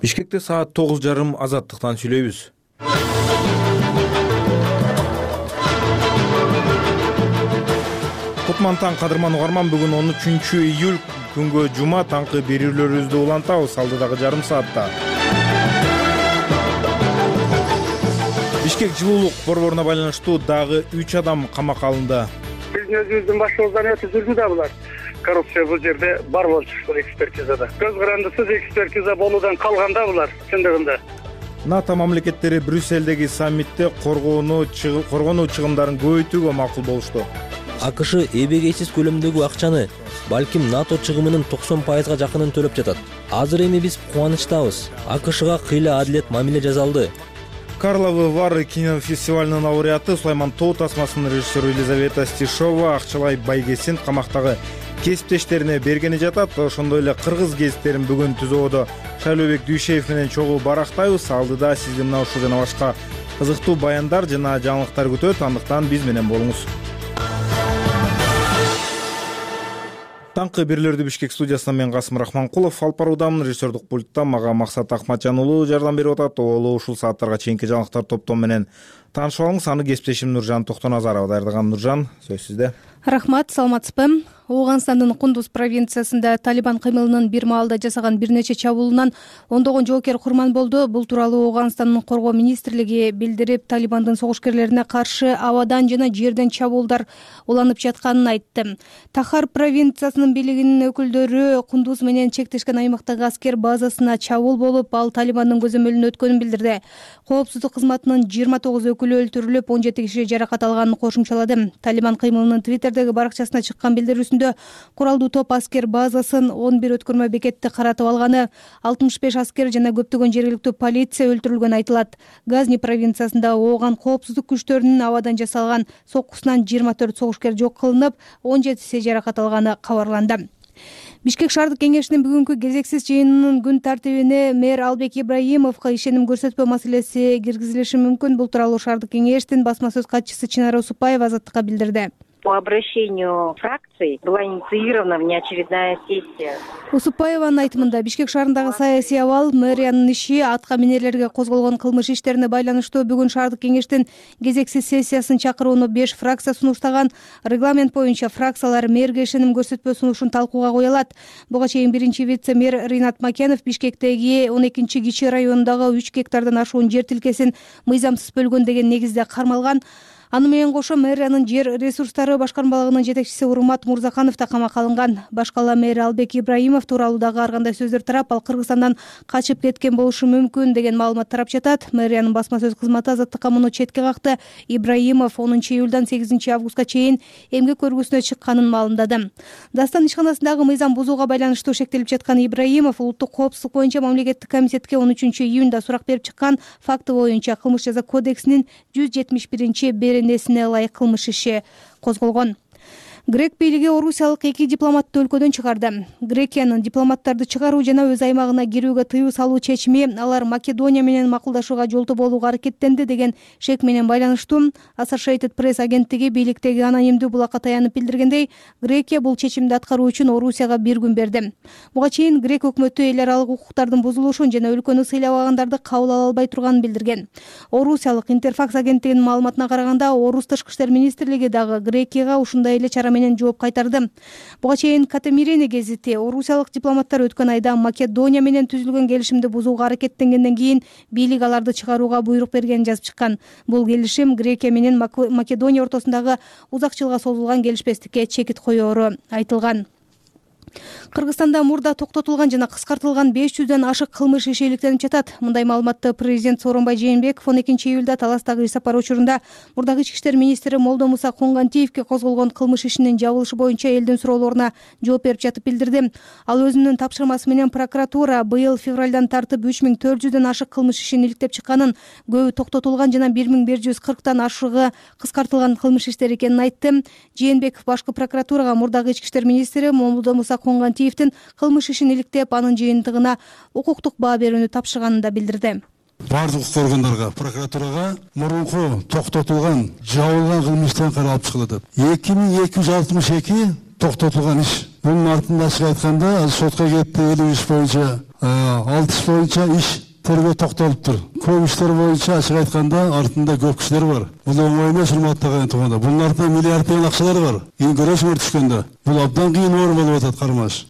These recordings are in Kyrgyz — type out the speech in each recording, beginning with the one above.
Бишкекте саат 9:30 Азаттыктан сүйлөйбүз. Кутмантан кадырман угарман, бүгүн 13-июль күнгө жума, таңкы берүүлөрүбүздү улантабыз алдыдагы жарым саатта. Бишкек жылуулук борборуна байланыштуу дагы 3 адам камакка алынды. Биздин өзүбүздүн башыбыздан өтүп жүрдү да булар. Коррупция бул жерде бар болчу, бул экспертизада. Көз карандысыз экспертиза болуудан калганда булар чындыгында. НАТО мамлекеттери Брюсселдеги саммитте коргонуу чыгымдарын көбөйтүүгө макул болушту. АКШ эбегейсиз көлөмдөгү акчаны, балким НАТО чыгымынын 90% жакынын төлөп жатат. Азыр эми биз кубанычтабыз. АКШга кыйла адилет мамиле жасалды. Карловы Вар кинофестивалынын лауреаты Сулайман Тоо тасмасынын режиссеру Елизавета Стишова Акчалай Байгесин камактагы кесиптештерине бергени жатат. Ошондой эле кыргыз гезиттерин бүгүн ТЗОдо Шайлообек Дүйшеев менен чогуу барактайбыз. Алдыда сизди мына ушул жана башка кызыктуу баяндар жана жаңылыктар күтөт. Андыктан биз менен болуңуз. Таңкы берүүлөрдү Бишкек студиясынан мен Касым Рахманкулов алып баруудамын. Режиссердук пультта мага Максат Акматжан уулу жардам берип атат. Ол ушул сааттарга чейинки жаңылыктар топтому менен таанышып алыңыз. Аны кесиптешим Нуржан Токтоназарова даярдаган. Нуржан, сөз сизде. Рахмат, саламатсызбы? Ооганстандын Кундуз провинциясында Талибан кыймылынын бир маалда жасаган бир нече чабуулунан ондогон жоокер курман болду. Бул тууралуу Ооганстандын коргоо министрлиги билдирип, Талибандын согушкерлерине каршы абадан жана жерден чабуулдар уланып жатканын айтты. Тахар провинциясынын бийлигинин өкүлдөрү Кундуз менен чектешкен аймактагы аскер базасына чабуул болуп, ал Талибандын көзөмөлүнө өткөнүн билдирди. Коопсуздук кызматынын 29 өкүлү өлтүрүлүп, 17 киши жаракат алганын кошумчалады. Талибан кыймылынын Твиттердеги баракчасына чыккан билдирүүсүндө куралдуу топ аскер базасын, 11 өткөрмө бекетти каратып алганы, 65 аскер жана көптөгөн жергиликтүү полиция өлтүрүлгөнү айтылат. Газни провинциясында Ооган коопсуздук күчтөрүнүн абадан жасалган соккусунан 24 согушкер жок кылынып, 17 жаракат алганы кабарланды. Бишкек шаардык кеңешинин бүгүнкү кезексиз жыйынынын күн тартибине мэр Албек Ибраимовго ишеним көрсөтпөө маселеси киргизилиши мүмкүн. Бул тууралуу шаардык кеңештин басма сөз катчысы Чынара Усупаева Азаттыкка билдирди. По обращению фракций была инициирована внеочередная сессия. Усупаеванын айтымында, Бишкек шаарындагы саясий абал, мэриянын иши, атка минерлерге козголгон кылмыш иштерине байланыштуу бүгүн шаардык кеңештин кезексиз сессиясын чакырууну 5 фракция сунуштаган. Регламент боюнча фракциялар мэрге ишеним көрсөтпөө сунушун талкууга кое алат. Буга чейин биринчи вице-мэр Ринат Макенов Бишкектеги 12 кичи районундагы 3 гектардан ашуун жер тилкесин мыйзамсыз бөлгөн деген негизде кармалган. Аны менен кошо мэриянын жер ресурстары башкармалыгынын жетекчиси Урмат Мурзаканов да камакка алынган. Башкала мэр Албек Ибраимов тууралуу дагы ар кандай сөздөр тарап, ал Кыргызстандан качып кеткен болушу мүмкүн деген маалымат тарап жатат. Мэриянын басма сөз кызматы Азаттыкка муну четке какты. Ибраимов 10 июлдан 8 августка чейин эмгек көргүсүнө чыкканын маалымдады. Дастан ишканасындагы мыйзам бузууга байланыштуу шектелип жаткан Ибраимов улуттук коопсуздук боюнча мамлекеттик комитетке 13 июнда сурак берип чыккан факты боюнча кылмыш жаза кодексинин 171 беренесине ылайык кылмыш иши козголгон. Грек бийлиги орусиялык 2 дипломатты өлкөдөн чыгарды. Грекиянын дипломаттарды чыгаруу жана өз аймагына кирүүгө тыюу салуу чечими алар Македония менен макулдашууга жолтоо болууга аракеттенди деген шек менен байланыштуу. Associated Press агенттиги бийликтеги анонимдүү булакка таянып билдиргендей, Грекия бул чечимди аткаруу үчүн Орусияга 1 күн берди. Буга чейин Грек өкмөтү эл аралык укуктардын бузулушун жана өлкөнү сыйлабагандарды кабыл ала албай турганын билдирген. Орусиялык Интерфакс агенттигинин маалыматына караганда, Орус тышкы иштер министрлиги дагы Грекияга ушундай эле чара менен жооп кайтарды. Буга чейин Катемирени гезити орусиялык дипломаттар өткөн айда Македония менен түзүлгөн келишимди бузууга аракеттенгенден кийин бийлик аларды чыгарууга буйрук бергенин жазып чыккан. Бул келишим Грекия менен Македония ортосундагы узак жылга созулган келишпестикке чекит коёру айтылган. Кыргызстанда мурда токтотулган жана кыскартылган 500дөн ашык кылмыш иши иликтенип жатат. Мындай маалыматты президент Сооронбай Жээнбеков 12 июлда Таластагы иш сапар учурунда мурдагы ички иштер министри Молдомуса Конгантиевке козголгон кылмыш ишинин жабылышы боюнча элдин суроолоруна жооп берип жатып билдирди. Ал өзүнүн тапшырмасы менен прокуратура быйыл февралдан тартып 3400дөн ашык кылмыш ишин иликтеп чыкканын, көбү токтотулган жана 1140тан ашыгы кыскартылган кылмыш иштер экенин айтты. Жээнбеков башкы прокуратурага мурдагы ички иштер министри Молдомуса Конгантиевдин кылмыш ишин иликтеп, анын жыйынтыгына укуктук баа берүүнү тапшырганын да билдирди. Бардык укук органдарга, прокуратурага мурунку токтотулган, жабылган кылмыштан каралып чыгылат. 2262 токтотулган иш Bunun артында ачык айтканда сотко кетти 50 иш боюнча, 6 иш боюнча иш тергөө токтолуптур. Көп иштер боюнча ачык айтканда артында көп кишилер бар. Бул оңой эмес, урматтуу туугандар. Bunun артында миллиарддаган акчалар бар. Эң көрөсүңөр түшкөндө. Бул абдан кыйын оор болуп атат кармаш.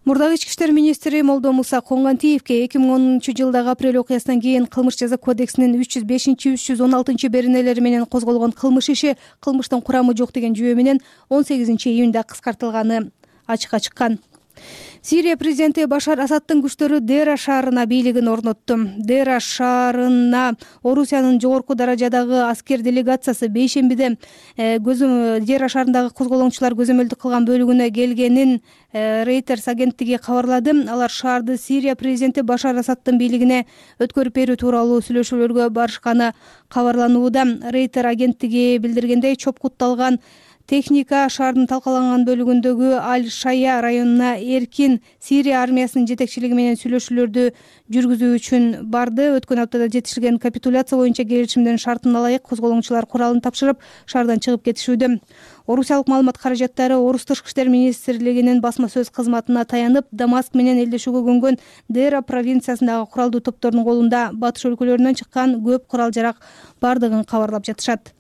Мурдагы ички иштер министри Молдо Муса Коңгантиевке 2010-жылдагы апрель окуясынан кийин Кылмыш жаза кодексинин 305-316 беренелери менен козголгон кылмыш иши кылмыштын курамы жок деген жүйө менен 18-июнда кыскартылганы ачыкка чыккан. Сирия президенти Башар Асаддын күчтөрү Дера шаарына бийлигин орнотту. Дера шаарына Орусиянын жогорку даражадагы аскер делегациясы бейшембиде Дера шаарындагы козголоңчулар көзөмөлдүк кылган бөлүгүнө келгенин Reuters агенттиги кабарлады. Алар шаарды Сирия президенти Башар Асаддын бийлигине өткөрүп берүү тууралуу сүйлөшүүлөргө барышканы кабарланууда. Reuters агенттиги билдиргендей, чопкутталган техника шаардын талкаланган бөлүгүндөгү Аль-Шая районуна эркин Сирия армиясынын жетекчилиги менен сүйлөшүүлөрдү жүргүзүү үчүн барды. Өткөн аптада жетишилген капитуляция боюнча келишимдин шартына ылайык козголоңчулар куралын тапшырып, шаардан чыгып кетишүүдө. Орусиялык маалымат каражаттары Орус тышкы иштер министрлигинин басма сөз кызматына таянып, Дамаск менен элдешүүгө көнгөн Дера провинциясындагы куралдуу топтордун колунда батыш өлкөлөрүнөн чыккан көп курал-жарак бардыгын кабарлап жатышат.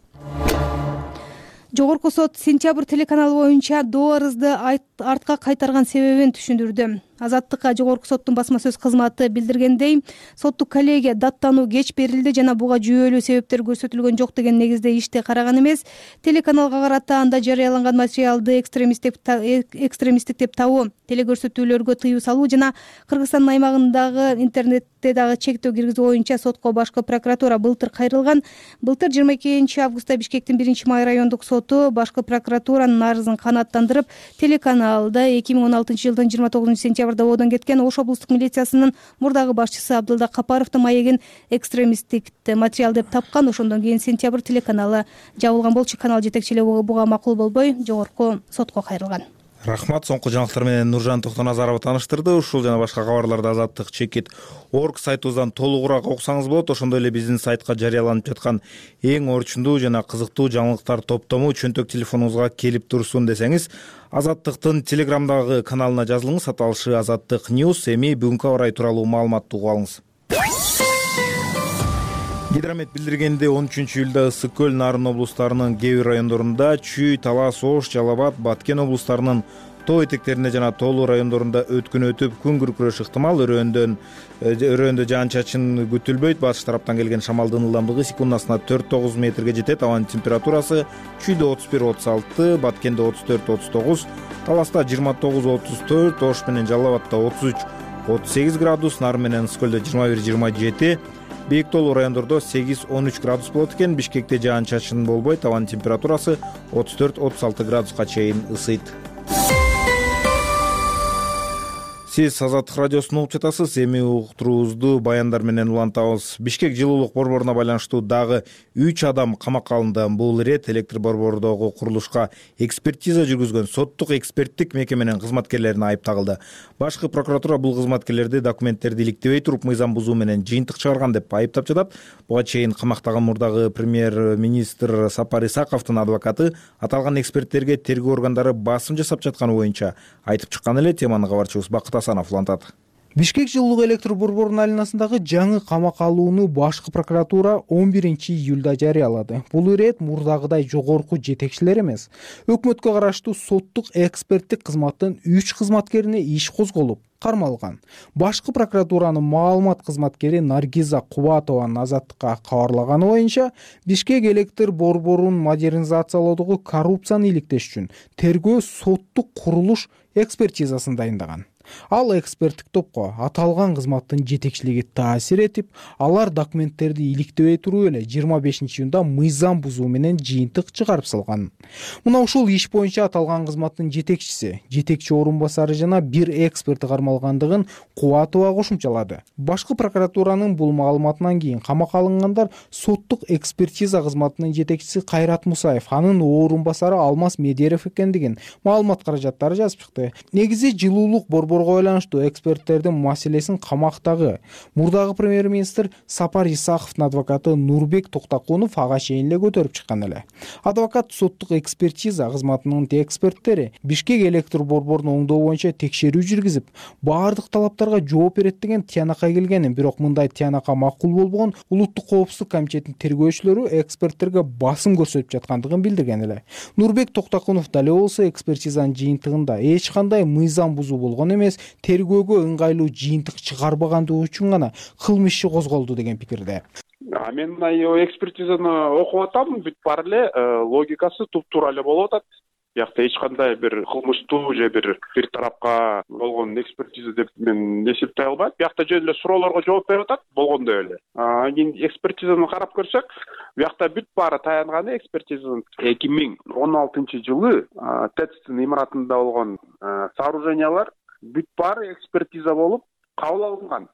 Жогорку сот Сентябрь телеканалы боюнча доо арызды артка кайтарган себебин түшүндүрдү. Азаттыкка жогорку соттун басма сөз кызматы билдиргендей, соттук коллегия даттануу кеч берилди жана буга жүйөлүү себептер көрсөтүлгөн жок деген негизде ишти караган эмес. Телеканалга карата анда жарыяланган материалды экстремисттик деп табуу, телекөрсөтүүлөргө тыюу салуу жана Кыргызстандын аймагындагы интернетте дагы чектөө киргизүү боюнча сотко башкы прокуратура былтыр кайрылган. Былтыр 22 августта Бишкектин 1-Май райондук соту башкы прокуратуранын арызын канааттандырып, телеканалда 2016-жылдын 29 сентябрда оодон кеткен Ош облустук милициясынын мурдагы башчысы Абдылда Капаровдун маегин экстремисттик материал деп тапкан. Ошондон кийин Сентябрь телеканалы жабылган болчу. Канал жетекчилиги буга макул болбой жогорку сотко кайрылган. Рахмат. Соңку жаңылыктар менен Нуржан Токтоназарова тааныштырды. Ушул жана башка кабарларды Азаттык.org сайтыбыздан толугураак окусаңыз болот. Ошондой эле биздин сайтка жарыяланып жаткан эң орчундуу жана кызыктуу жаңылыктар топтому чөнтөк телефонуңузга келип турсун десеңиз, Азаттыктын Телеграмдагы каналына жазылыңыз. Аталышы Азаттык News. Эми бүгүнкү аба ырайы тууралуу маалыматты угуп алыңыз. Гидромет билдиргенде 13-июлда Ысык көл, Нарын облустарынын кээ бир райондорунда, Чүй, Талас, Ош, Жалал Абад, Баткен облустарынын тоо этектеринде жана тоолуу райондорунда өткүн өтүп, күн күркүрөшү ыктымал. Өрөөндө жаан-чачын күтүлбөйт. Батыш тараптан келген шамалдын ылдамдыгы секундасына 4-9 метрге жетет. Абанын температурасы Чүйдө 31-36, Баткенде 34-39, Таласта 29-34, Ош менен Жалал Абадта 33-38 градус, Нарын менен Ысык көлдө 21-27, бийик тоолуу райондордо 8-13 градус болот экен. Бишкекте жаан-чачын болбойт. Абанын температурасы 34-36 градуска чейин ысыйт. Сиз Азаттык радиосун угуп жатасыз. Эми уктуруубузду баяндар менен улантабыз. Бишкек жылуулук борборуна байланыштуу дагы 3 адам камакка алынды. Бул ирет электр борбордогу курулушка экспертиза жүргүзгөн соттук эксперттик мекеменин кызматкерлерине айып тагылды. Башкы прокуратура бул кызматкерлерди документтерди иликтебей туруп мыйзам бузуу менен жыйынтык чыгарган деп айыптап жатат. Буга чейин камактагы мурдагы премьер-министр Сапар Исаковдун адвокаты аталган эксперттерге тергөө органдары басым жасап жатканы боюнча айтып чыккан эле. Теманы кабарчыбыз Бакыт Асанов улантат. Бишкек жылуулук электр борборунун айланасындагы жаңы камакка алууну башкы прокуратура 11-июлда жарыялады. Бул ирет мурдагыдай жогорку жетекчилер эмес, өкмөткө караштуу соттук эксперттик кызматтын 3 кызматкерине иш козголуп кармалган. Башкы прокуратуранын маалымат кызматкери Наргиза Кубатованын Азаттыкка кабарлаганы боюнча, Бишкек электр борборун модернизациялоодогу коррупцияны иликтеш үчүн тергөө соттук курулуш экспертизасын дайындаган. Ал эксперттик топко аталган кызматтын жетекчилиги таасир этип, алар документтерди иликтебей туруп эле 25-июнда мыйзам бузуу менен жыйынтык чыгарып салган. Мына ушул иш боюнча аталган кызматтын жетекчиси, жетекчи орун басары жана бир эксперти кармалгандыгын Кубатова кошумчалады. Башкы прокуратуранын бул маалыматынан кийин камакка алынгандар соттук экспертиза кызматынын жетекчиси Кайрат Мусаев, анын орун басары Алмаз Медеров экендигин маалымат каражаттары жазып чыкты. Негизи жылуулук борбору долбоорго байланыштуу эксперттердин маселесин камактагы. Мурдагы премьер-министр Сапар Исаковдун адвокаты Нурбек Токтокунов ага чейин эле көтөрүп чыккан эле. Адвокат соттук экспертиза кызматынын эксперттери Бишкек электр борборун оңдоо боюнча текшерүү жүргүзүп, баардык талаптарга жооп берет деген тыянакка келгенин, бирок мындай тыянакка макул болбогон Улуттук коопсуздук комитетинин тергөөчүлөрү эксперттерге басым көрсөтүп жаткандыгын билдирген эле. Нурбек Токтокунов дале болсо экспертизанын жыйынтыгында эч кандай мыйзам бузуу болгон эмес, тергөөгө ыңгайлуу жыйынтык чыгарбагандыгы үчүн гана кылмыш иши козголду деген пикирде. Мен экспертизаны окуп атам, бүт бар эле логикасы туп-туура эле болуп атат. Биякта эч кандай бир кылмыштуу же бир тарапка болгон экспертиза деп мен эсептей албайм. Биякта жөн эле суроолорго жооп берип атат болгондой эле. Кийин экспертизаны карап көрсөк, биякта бүт баары таянганы экспертизанын 2016-жылы ТЭЦтин имаратында болгон сооружениялар бүт баары экспертиза болуп кабыл алынган.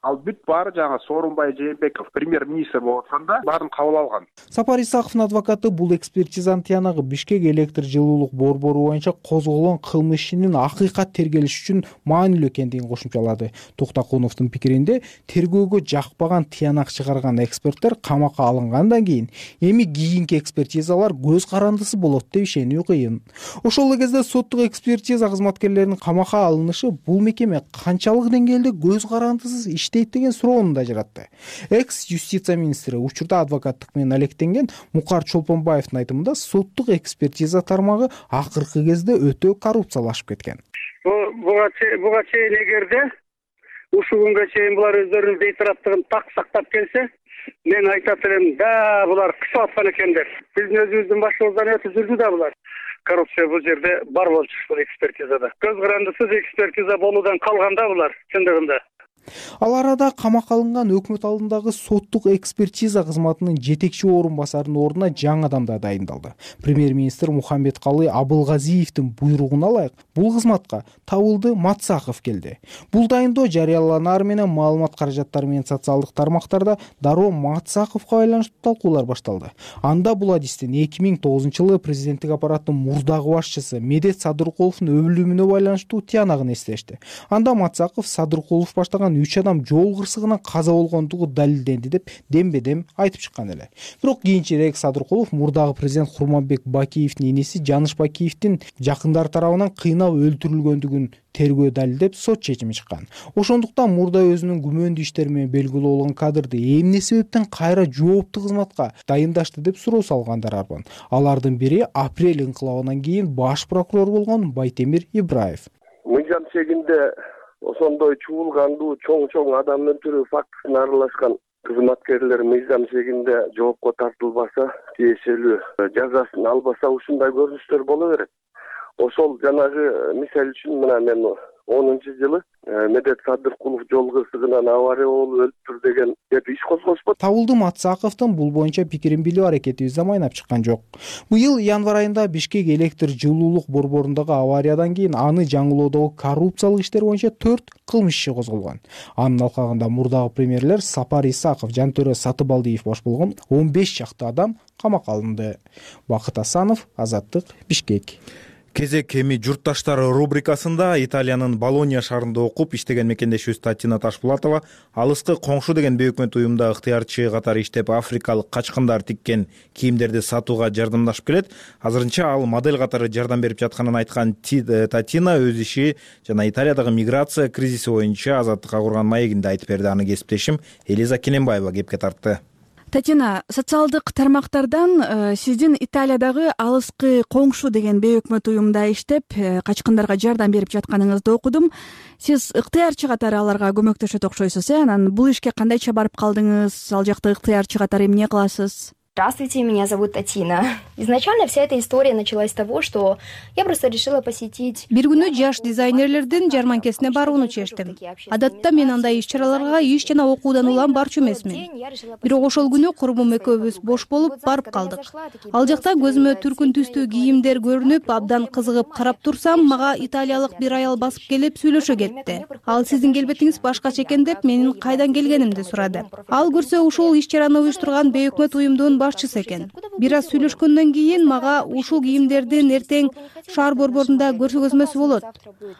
Ал бүт баары жаңа Сооронбай Жээнбеков премьер-министр болуп атканда баарын кабыл алган. Сапар Исаковдун адвокаты бул экспертизанын тыянагы Бишкек электр жылуулук борбору боюнча козголгон кылмыш ишинин акыйкат тергелиш үчүн маанилүү экендигин кошумчалады. Токтокуновдун пикиринде, тергөөгө жакпаган тыянак чыгарган эксперттер камакка алынгандан кийин эми кийинки экспертизалар көз карандысы болот деп ишенүү кыйын. Ошол эле кезде соттук экспертиза кызматкерлеринин камакка алынышы бул мекеме канчалык деңгээлде көз карандысыз иштейт деген суроону да жаратты. Экс-юстиция министри учурда адвокаттык менен алектенген Мукар Чолпонбаевдин айтымында соттук экспертиза тармагы акыркы кезде өтө коррупциялашып кеткен. Буга чейин эгерде ушул күнгө чейин булар өздөрүнүн бейтараптыгын так сактап келсе, мен айтат элем, да булар кысып аткан экендер. Биздин өзүбүздүн башыбыздан өтүп жүрдү да булар. Коррупция бул жерде бар болчу ушул экспертизада. Көз карандысыз экспертиза болуудан калган да булар чындыгында. Ал арада камакка алынган өкмөт алдындагы соттук экспертиза кызматынын жетекчи орун басарынын ордуна жаңы адам да дайындалды. Премьер-министр Мухаммедкалый Абылгазиевдин буйругуна ылайык бул кызматка Табылды Матсаков келди. Бул дайындоо жарыяланаар менен маалымат каражаттары менен социалдык тармактарда дароо Матсаковго байланыштуу талкуулар башталды. Анда бул адистин 2009-жылы президенттик аппараттын мурдагы башчысы Медет Садыркуловдун өлүмүнө байланыштуу тыянагын эстешти. Анда Матсаков Садыркулов баштаган 3 адам жол кырсыгынан каза болгондугу далилденди деп дембедем айтып чыккан эле. Бирок кийинчерээк Садыркулов мурдагы президент Курманбек Бакиевдин иниси Жаныш Бакиевдин жакындары тарабынан кыйнап өлтүрүлгөндүгүн тергөө далилдеп сот чечими чыккан. Ошондуктан мурда өзүнүн күмөндүү иштери менен белгилүү болгон кадрды эмне себептен кайра жооптуу кызматка дайындашты деп суроо салгандар арбан. Алардын бири апрель инкылабынан кийин баш прокурор болгон Байтемир Ибраев. Мыйзам чегинде ошондой чуулгандуу чоң адам өлтүрүү фактысына аралашкан кызматкерлер мыйзам чегинде жоопко тартылбаса, тиешелүү жазасын албаса ушундай көрүнүштөр боло берет. Ошол жанагы мисал үчүн мына мен 10-жылы Медет Садыркулов жол кырсыгынан авария болуп өлтүр деген деп иш козгошпот. Табылды Матсаковдун бул боюнча пикирин билүү аракетибиз да майнап чыккан жок. Быйыл январь айында Бишкек электр жылуулук борборундагы авариядан кийин аны жаңылоодогу коррупциялык иштер боюнча 4 кылмыш иши козголгон. Анын алкагында мурдагы премьерлер Сапар Исаков, Жантөрө Сатыбалдиев баш болгон 15 чакты адам камакка алынды. Бакыт Асанов, Азаттык, Бишкек. Кезек эми журтташтар рубрикасында Италиянын Болонья шаарында окуп иштеген мекендешибиз Татина Ташпулатова алыскы коңшу деген бейөкмөт уюмда ыктыярчы катары иштеп африкалык качкындар тиккен кийимдерди сатууга жардамдашып келет. Азырынча ал модель катары жардам берип жатканын айткан Татина өз иши жана Италиядагы миграция кризиси боюнча Азаттыкка курган маегинде айтып берди. Аны кесиптешим Элиза Кененбаева кепке тартты. Татина, социалдык тармактардан сиздин Италиядагы алыскы коңшу деген бейөкмөт уюмда иштеп, качкындарга жардам берип жатканыңызды окудум. Сиз ыктыярчы катары аларга көмөктөшөт окшойсуз, Анан бул ишке кандайча барып калдыңыз? Ал жакта ыктыярчы катары эмне кыласыз? Здравствуйте, меня зовут Татина. Изначально вся эта история началась с того, что я просто решила посетить... Бир күнү жаш дизайнерлердин жарманкесине барууну чечтим. Адатта мен андай иш-чараларга иш жана окуудан улам барчу эмесмин. Бирок ошол күнү курбум экөөбүз бош болуп барып калдык. Ал жакта көзүмө түркүн түстүү кийимдер көрүнүп, абдан кызыгып карап турсам, мага италиялык бир аял басып келип сүйлөшө кетти. Ал сиздин келбетиңиз башкача экен деп менин кайдан келгенимди сурады. Ал көрсө ушул иш-чараны уюштурган бейөкмөт уюмдун башчысы экен. Бир аз сүйлөшкөндөн кийин мага ушул кийимдердин эртең шаар борборунда көрсөтмөсү болот.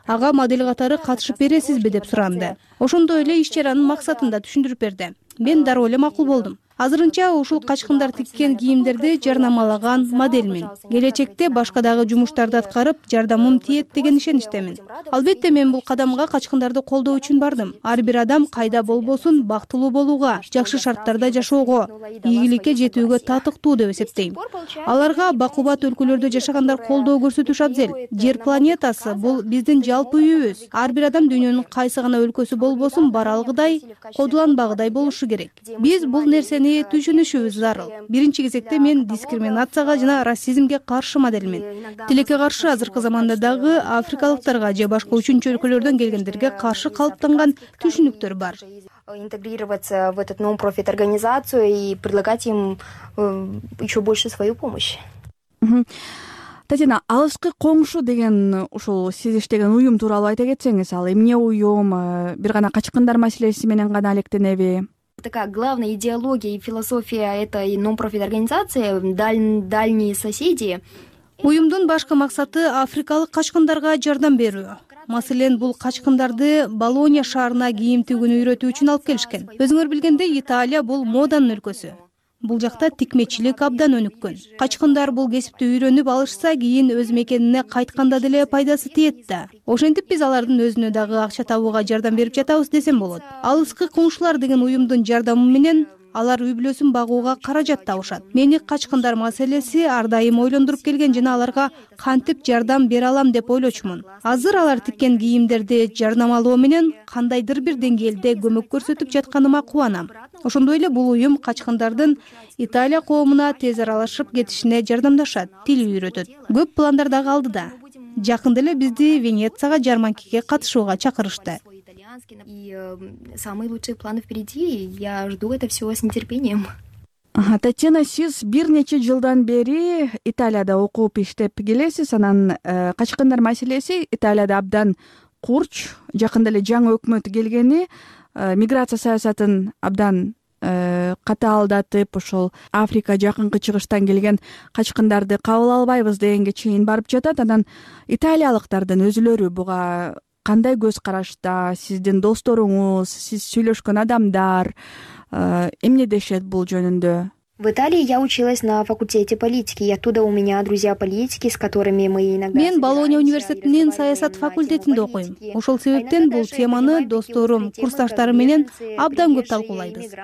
Ага модель катары катышып бересизби деп суранды. Ошондой эле иш чаранын максатын да түшүндүрүп берди. Мен дароо эле макул болдум. Азырынча ушул качкындар тиккен кийимдерди жарнамалаган моделмин. Келечекте башка дагы жумуштарды аткарып, жардамым тиет деген ишеничтемин. Албетте мен бул кадамга качкындарды колдоо үчүн бардым. Ар бир адам кайда болбосун бактылуу болууга, жакшы шарттарда жашоого, ийгиликке жетүүгө татыктуу деп эсептейм. Аларга бакубат өлкөлөрдө жашагандар колдоо көрсөтүш абзел. Жер планетасы бул биздин жалпы үйүбүз. Ар бир адам дүйнөнүн кайсы гана өлкөсү болбосун бара алгыдай, кодуланбагыдай болушу керек. Биз бул нерсени түшүнүшүбүз зарыл. Биринчи кезекте мен дискриминацияга жана расизмге каршы моделмин. Тилекке каршы азыркы заманда дагы африкалыктарга же башка үчүнчү өлкөлөрдөн келгендерге каршы калыптанган түшүнүктөр бар. Интегрироваться в эту нон-профит организацию и предлагать им еще больше свою помощь. Татьяна, алыскы коңшу деген ушул сиз иштеген уюм тууралуу айта кетсеңиз, ал эмне уюм, бир гана качкындар маселеси менен гана алектенеби? Такая главная идеология и философия этой нон-профит организации дальние соседи. Уюмдун башкы максаты африкалык качкындарга жардам берүү. Маселен, бул качкындарды Болонья шаарына кийим тигүүнү үйрөтүү үчүн алып келишкен. Өзүңөр билгендей, Италия бул моданын өлкөсү. Бул жакта тикмечилик абдан өнүккөн. Качкындар бул кесипти үйрөнүп алышса, кийин өз мекенине кайтканда деле пайдасы тиет да. Ошентип биз алардын өзүнө дагы акча табууга жардам берип жатабыз десем болот. Алыскы коңшулар деген уюмдун жардамы менен алар үй бүлөсүн багууга каражат табышат. Мени качкындар маселеси ар дайым ойлондуруп келген жана аларга кантип жардам бере алам деп ойлочумун. Азыр алар тиккен кийимдерди жарнамалоо менен кандайдыр бир деңгээлде көмөк көрсөтүп жатканыма кубанам. Ошондой эле бул уюм качкындардын Италия коомуна тез аралашып кетишине жардамдашат, тил үйрөтөт. Көп пландар дагы алдыда. Жакында эле бизди Венецияга жарманкеге катышууга чакырышты. И самые лучшие планы впереди. Я жду это все с нетерпением. Татьяна, сиз бир нече жылдан бери Италияда окуп иштеп келесиз. Анан качкындар маселеси Италияда абдан курч. Жакында эле жаңы өкмөт келгени миграция саясатын абдан катаалдатып, ошол Африка жакынкы чыгыштан келген качкындарды кабыл албайбыз дегенге чейин барып жатат. Анан италиялыктардын өзүлөрү буга кандай көз карашта? Сиздин досторуңуз, сиз сүйлөшкөн адамдар эмне дешет бул жөнүндө? В Италии я училась на факультете политики, и оттуда у меня друзья политики, с которыми мы иногда... Мен Болонья университетинин саясат факультетинде окуйм. Ошол себептен бул теманы досторум, курсташтарым менен абдан көп талкуулайбыз.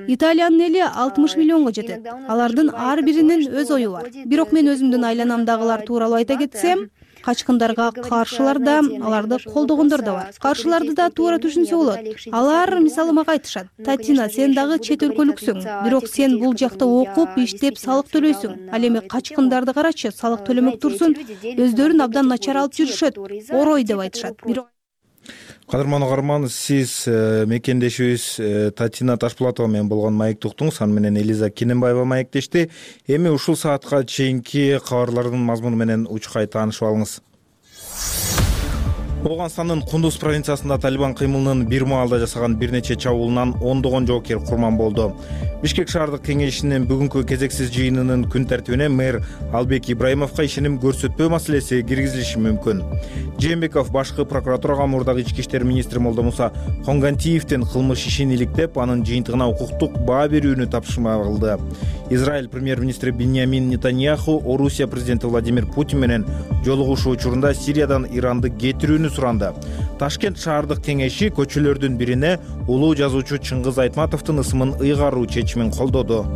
Италиянын эли 60 миллионго жетет. Алардын ар биринин өз ою бар. Бирок мен өзүмдүн айланамдагылар тууралуу айта кетсем, качкындарга каршылар да, аларды колдогондор да бар. Каршыларды да туура түшүнсө болот. Алар мисалы мага айтышат: "Татина, сен дагы чет өлкөлүксүң, бирок сен бул жакта окуп, иштеп, салык төлөйсүң. Ал эми качкындарды карачы, салык төлөмөк турсун, өздөрүн абдан начар алып жүрүшөт. Орой" деп айтышат. Кадырман угарман, сиз мекендешибиз Татина Ташпулатова менен болгон маектуктуңуз, аны менен Элиза Кененбаева маектешти. Эми ушул саатка чейинки кабарлардын мазмуну менен учкай таанышып алыңыз. Ооганстандын Кундуз провинциясында Талибан кыймылынын бир маалда жасаган бир нече чабуулунан ондогон жоокер курман болду. Бишкек шаардык кеңешинин бүгүнкү кезексиз жыйынынын күн тартибине мэр Албек Ибраимовго ишеним көрсөтпөө маселеси киргизилиши мүмкүн. Жээнбеков башкы прокуратурага мурдагы ички иштер министри Молдомуса Хонгантиевдин кылмыш ишин иликтеп, анын жыйынтыгына укуктук баа берүүнү тапшырма кылды. Израиль премьер-министри Биньямин Нетаньяху Орусия президенти Владимир Путин менен жолугушуу учурунда Сириядан Иранды кетирүүнү суранды. Ташкент шаардык кеңеши көчөлөрдүн бирине улуу жазуучу Чыңгыз Айтматовдун ысымын ыйгаруу чечимин колдоду.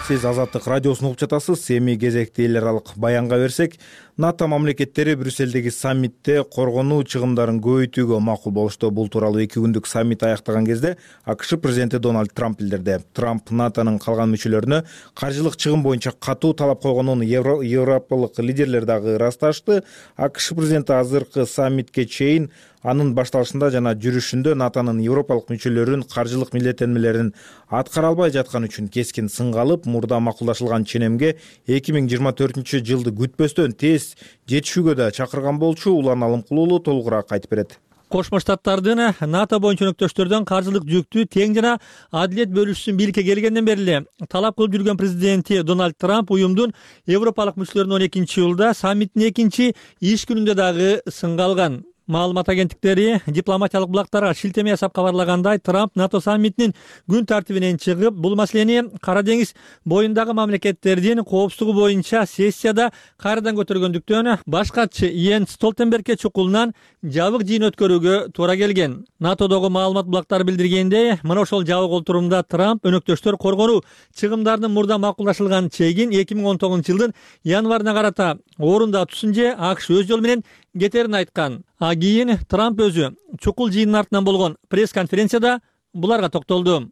Сиз Азаттык радиосун угуп жатасыз. Эми кезекти эл аралык баянга берсек, НАТО мамлекеттери Брюссельдеги саммитте коргонуу чыгымдарын көбөйтүүгө макул болушту. Бул тууралуу 2 күндүк саммит аяктаган кезде АКШ президенти Дональд Трамп билдирди. Трамп НАТОнун калган мүчөлөрүнө каржылык чыгым боюнча катуу талап койгонун европалык лидерлер дагы ырасташты. АКШ президенти азыркы саммитке чейин анын башталышында жана жүрүшүндө НАТОнун европалык мүчөлөрүн каржылык милдеттенмелерин аткара албай жатканы үчүн кескин сынга алып, мурда макулдашылган ченемге 2024-жылды күтпөстөн тез жетишүүгө да чакырган болчу. Улан Алымкулуулу толугураак айтып берет. Кошмо Штаттардын НАТО боюнча өнөктөштөрдөн каржылык жүктү тең жана адилет бөлүшүшүн бийликке келгенден бери эле талап кылып жүргөн президенти Дональд Трамп уюмдун Европалык мүчөлөрүнө 12-июлда саммиттин экинчи иш күнүндө дагы сынга алган. Маалымат агенттиктери дипломатиялык булактарга шилтеме жасап кабарлагандай, Трамп НАТО саммитинин күн тартибинен чыгып, бул маселени Кара деңиз боюндагы мамлекеттердин коопсуздугу боюнча сессияда кайрадан көтөргөндүктөн баш катчы Йенс Столтенбергке чукулунан жабык жыйын өткөрүүгө туура келген. НАТОдогу маалымат булактары билдиргендей, мына ошол жабык отурумда Трамп өнөктөштөр коргонуу чыгымдарынын мурда макулдашылган чегин 2019-жылдын январына карата орунда tutsun же АКШ өз жолу менен кетерин айткан. Кийин Трамп өзү чукул жыйындын артынан болгон пресс-конференцияда буларга токтолду.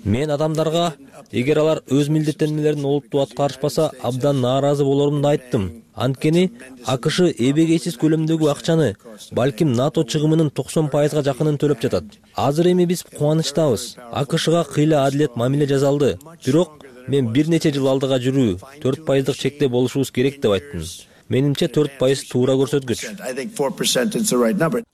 Мен адамдарга, эгер алар өз милдеттенмелерин олуттуу аткарышпаса, абдан нааразы болорумду айттым. Анткени АКШ эбегейсиз көлөмдөгү акчаны, балким НАТО чыгымынын 90%га жакынын төлөп жатат. Азыр эми биз кубанычтабыз. АКШга кыйла адилет мамиле жасалды. Бирок мен бир нече жыл алдыга жүрүү 4%дык чекте болушубуз керек деп айттым. Менимче 4% туура көрсөткүч.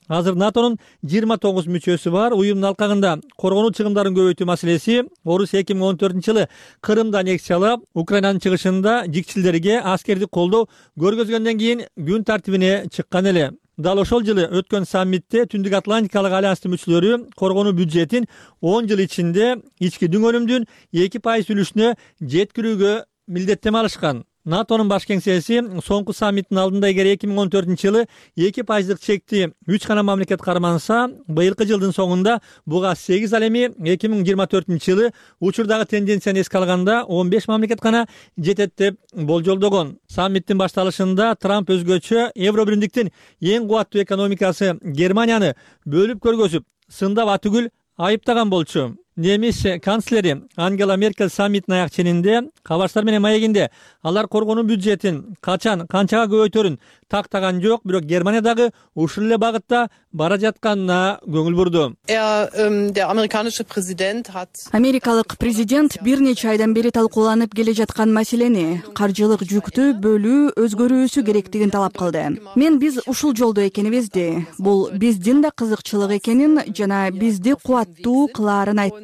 Азыр НАТОнун 29 мүчөсү бар. Уюмдун алкагында коргонуу чыгымдарын көбөйтүү маселеси Орусия 2014-жылы Крымды аннексиялап, Украинанын чыгышында жикчилдерге аскердик колдоо көргөзгөндөн кийин күн тартибине чыккан эле. Дал ошол жылы өткөн саммитте Түндүк Атлантикалык альянстын мүчөлөрү коргонуу бюджетин 10 жыл ичинде ички дүңөлүмдүн 2% үлүшүнө жеткирүүгө милдеттеме алышкан. НАТОнун баш кеңсеси соңку саммиттин алдында эгер 2014-жылы 2%дык чекти 3 гана мамлекет карманса, быйылкы жылдын соңунда буга 8, ал эми 2024-жылы учурдагы тенденцияны эске алганда 15 мамлекет гана жетет деп болжолдогон. Саммиттин башталышында Трамп өзгөчө Евробиримдиктин эң кубаттуу экономикасы Германияны бөлүп көргөзүп, сындап атүгүл айыптаган болчу. Немис канцлери Ангела Меркель саммиттин аяк ченинде кабарчылар менен маегинде алар коргонуу бюджетин качан, канчага көбөйтөрүн тактаган жок, бирок Германия дагы ушул эле багытта бара жатканына көңүл бурду. Америкалык президент бир нече айдан бери талкууланып келе жаткан маселени, каржылык жүктү бөлүү өзгөрүүсү керектигин талап кылды. Мен биз ушул жолдо экенибизди, бул биздин да кызыкчылык экенин жана бизди кубаттуу кылаарын айттым.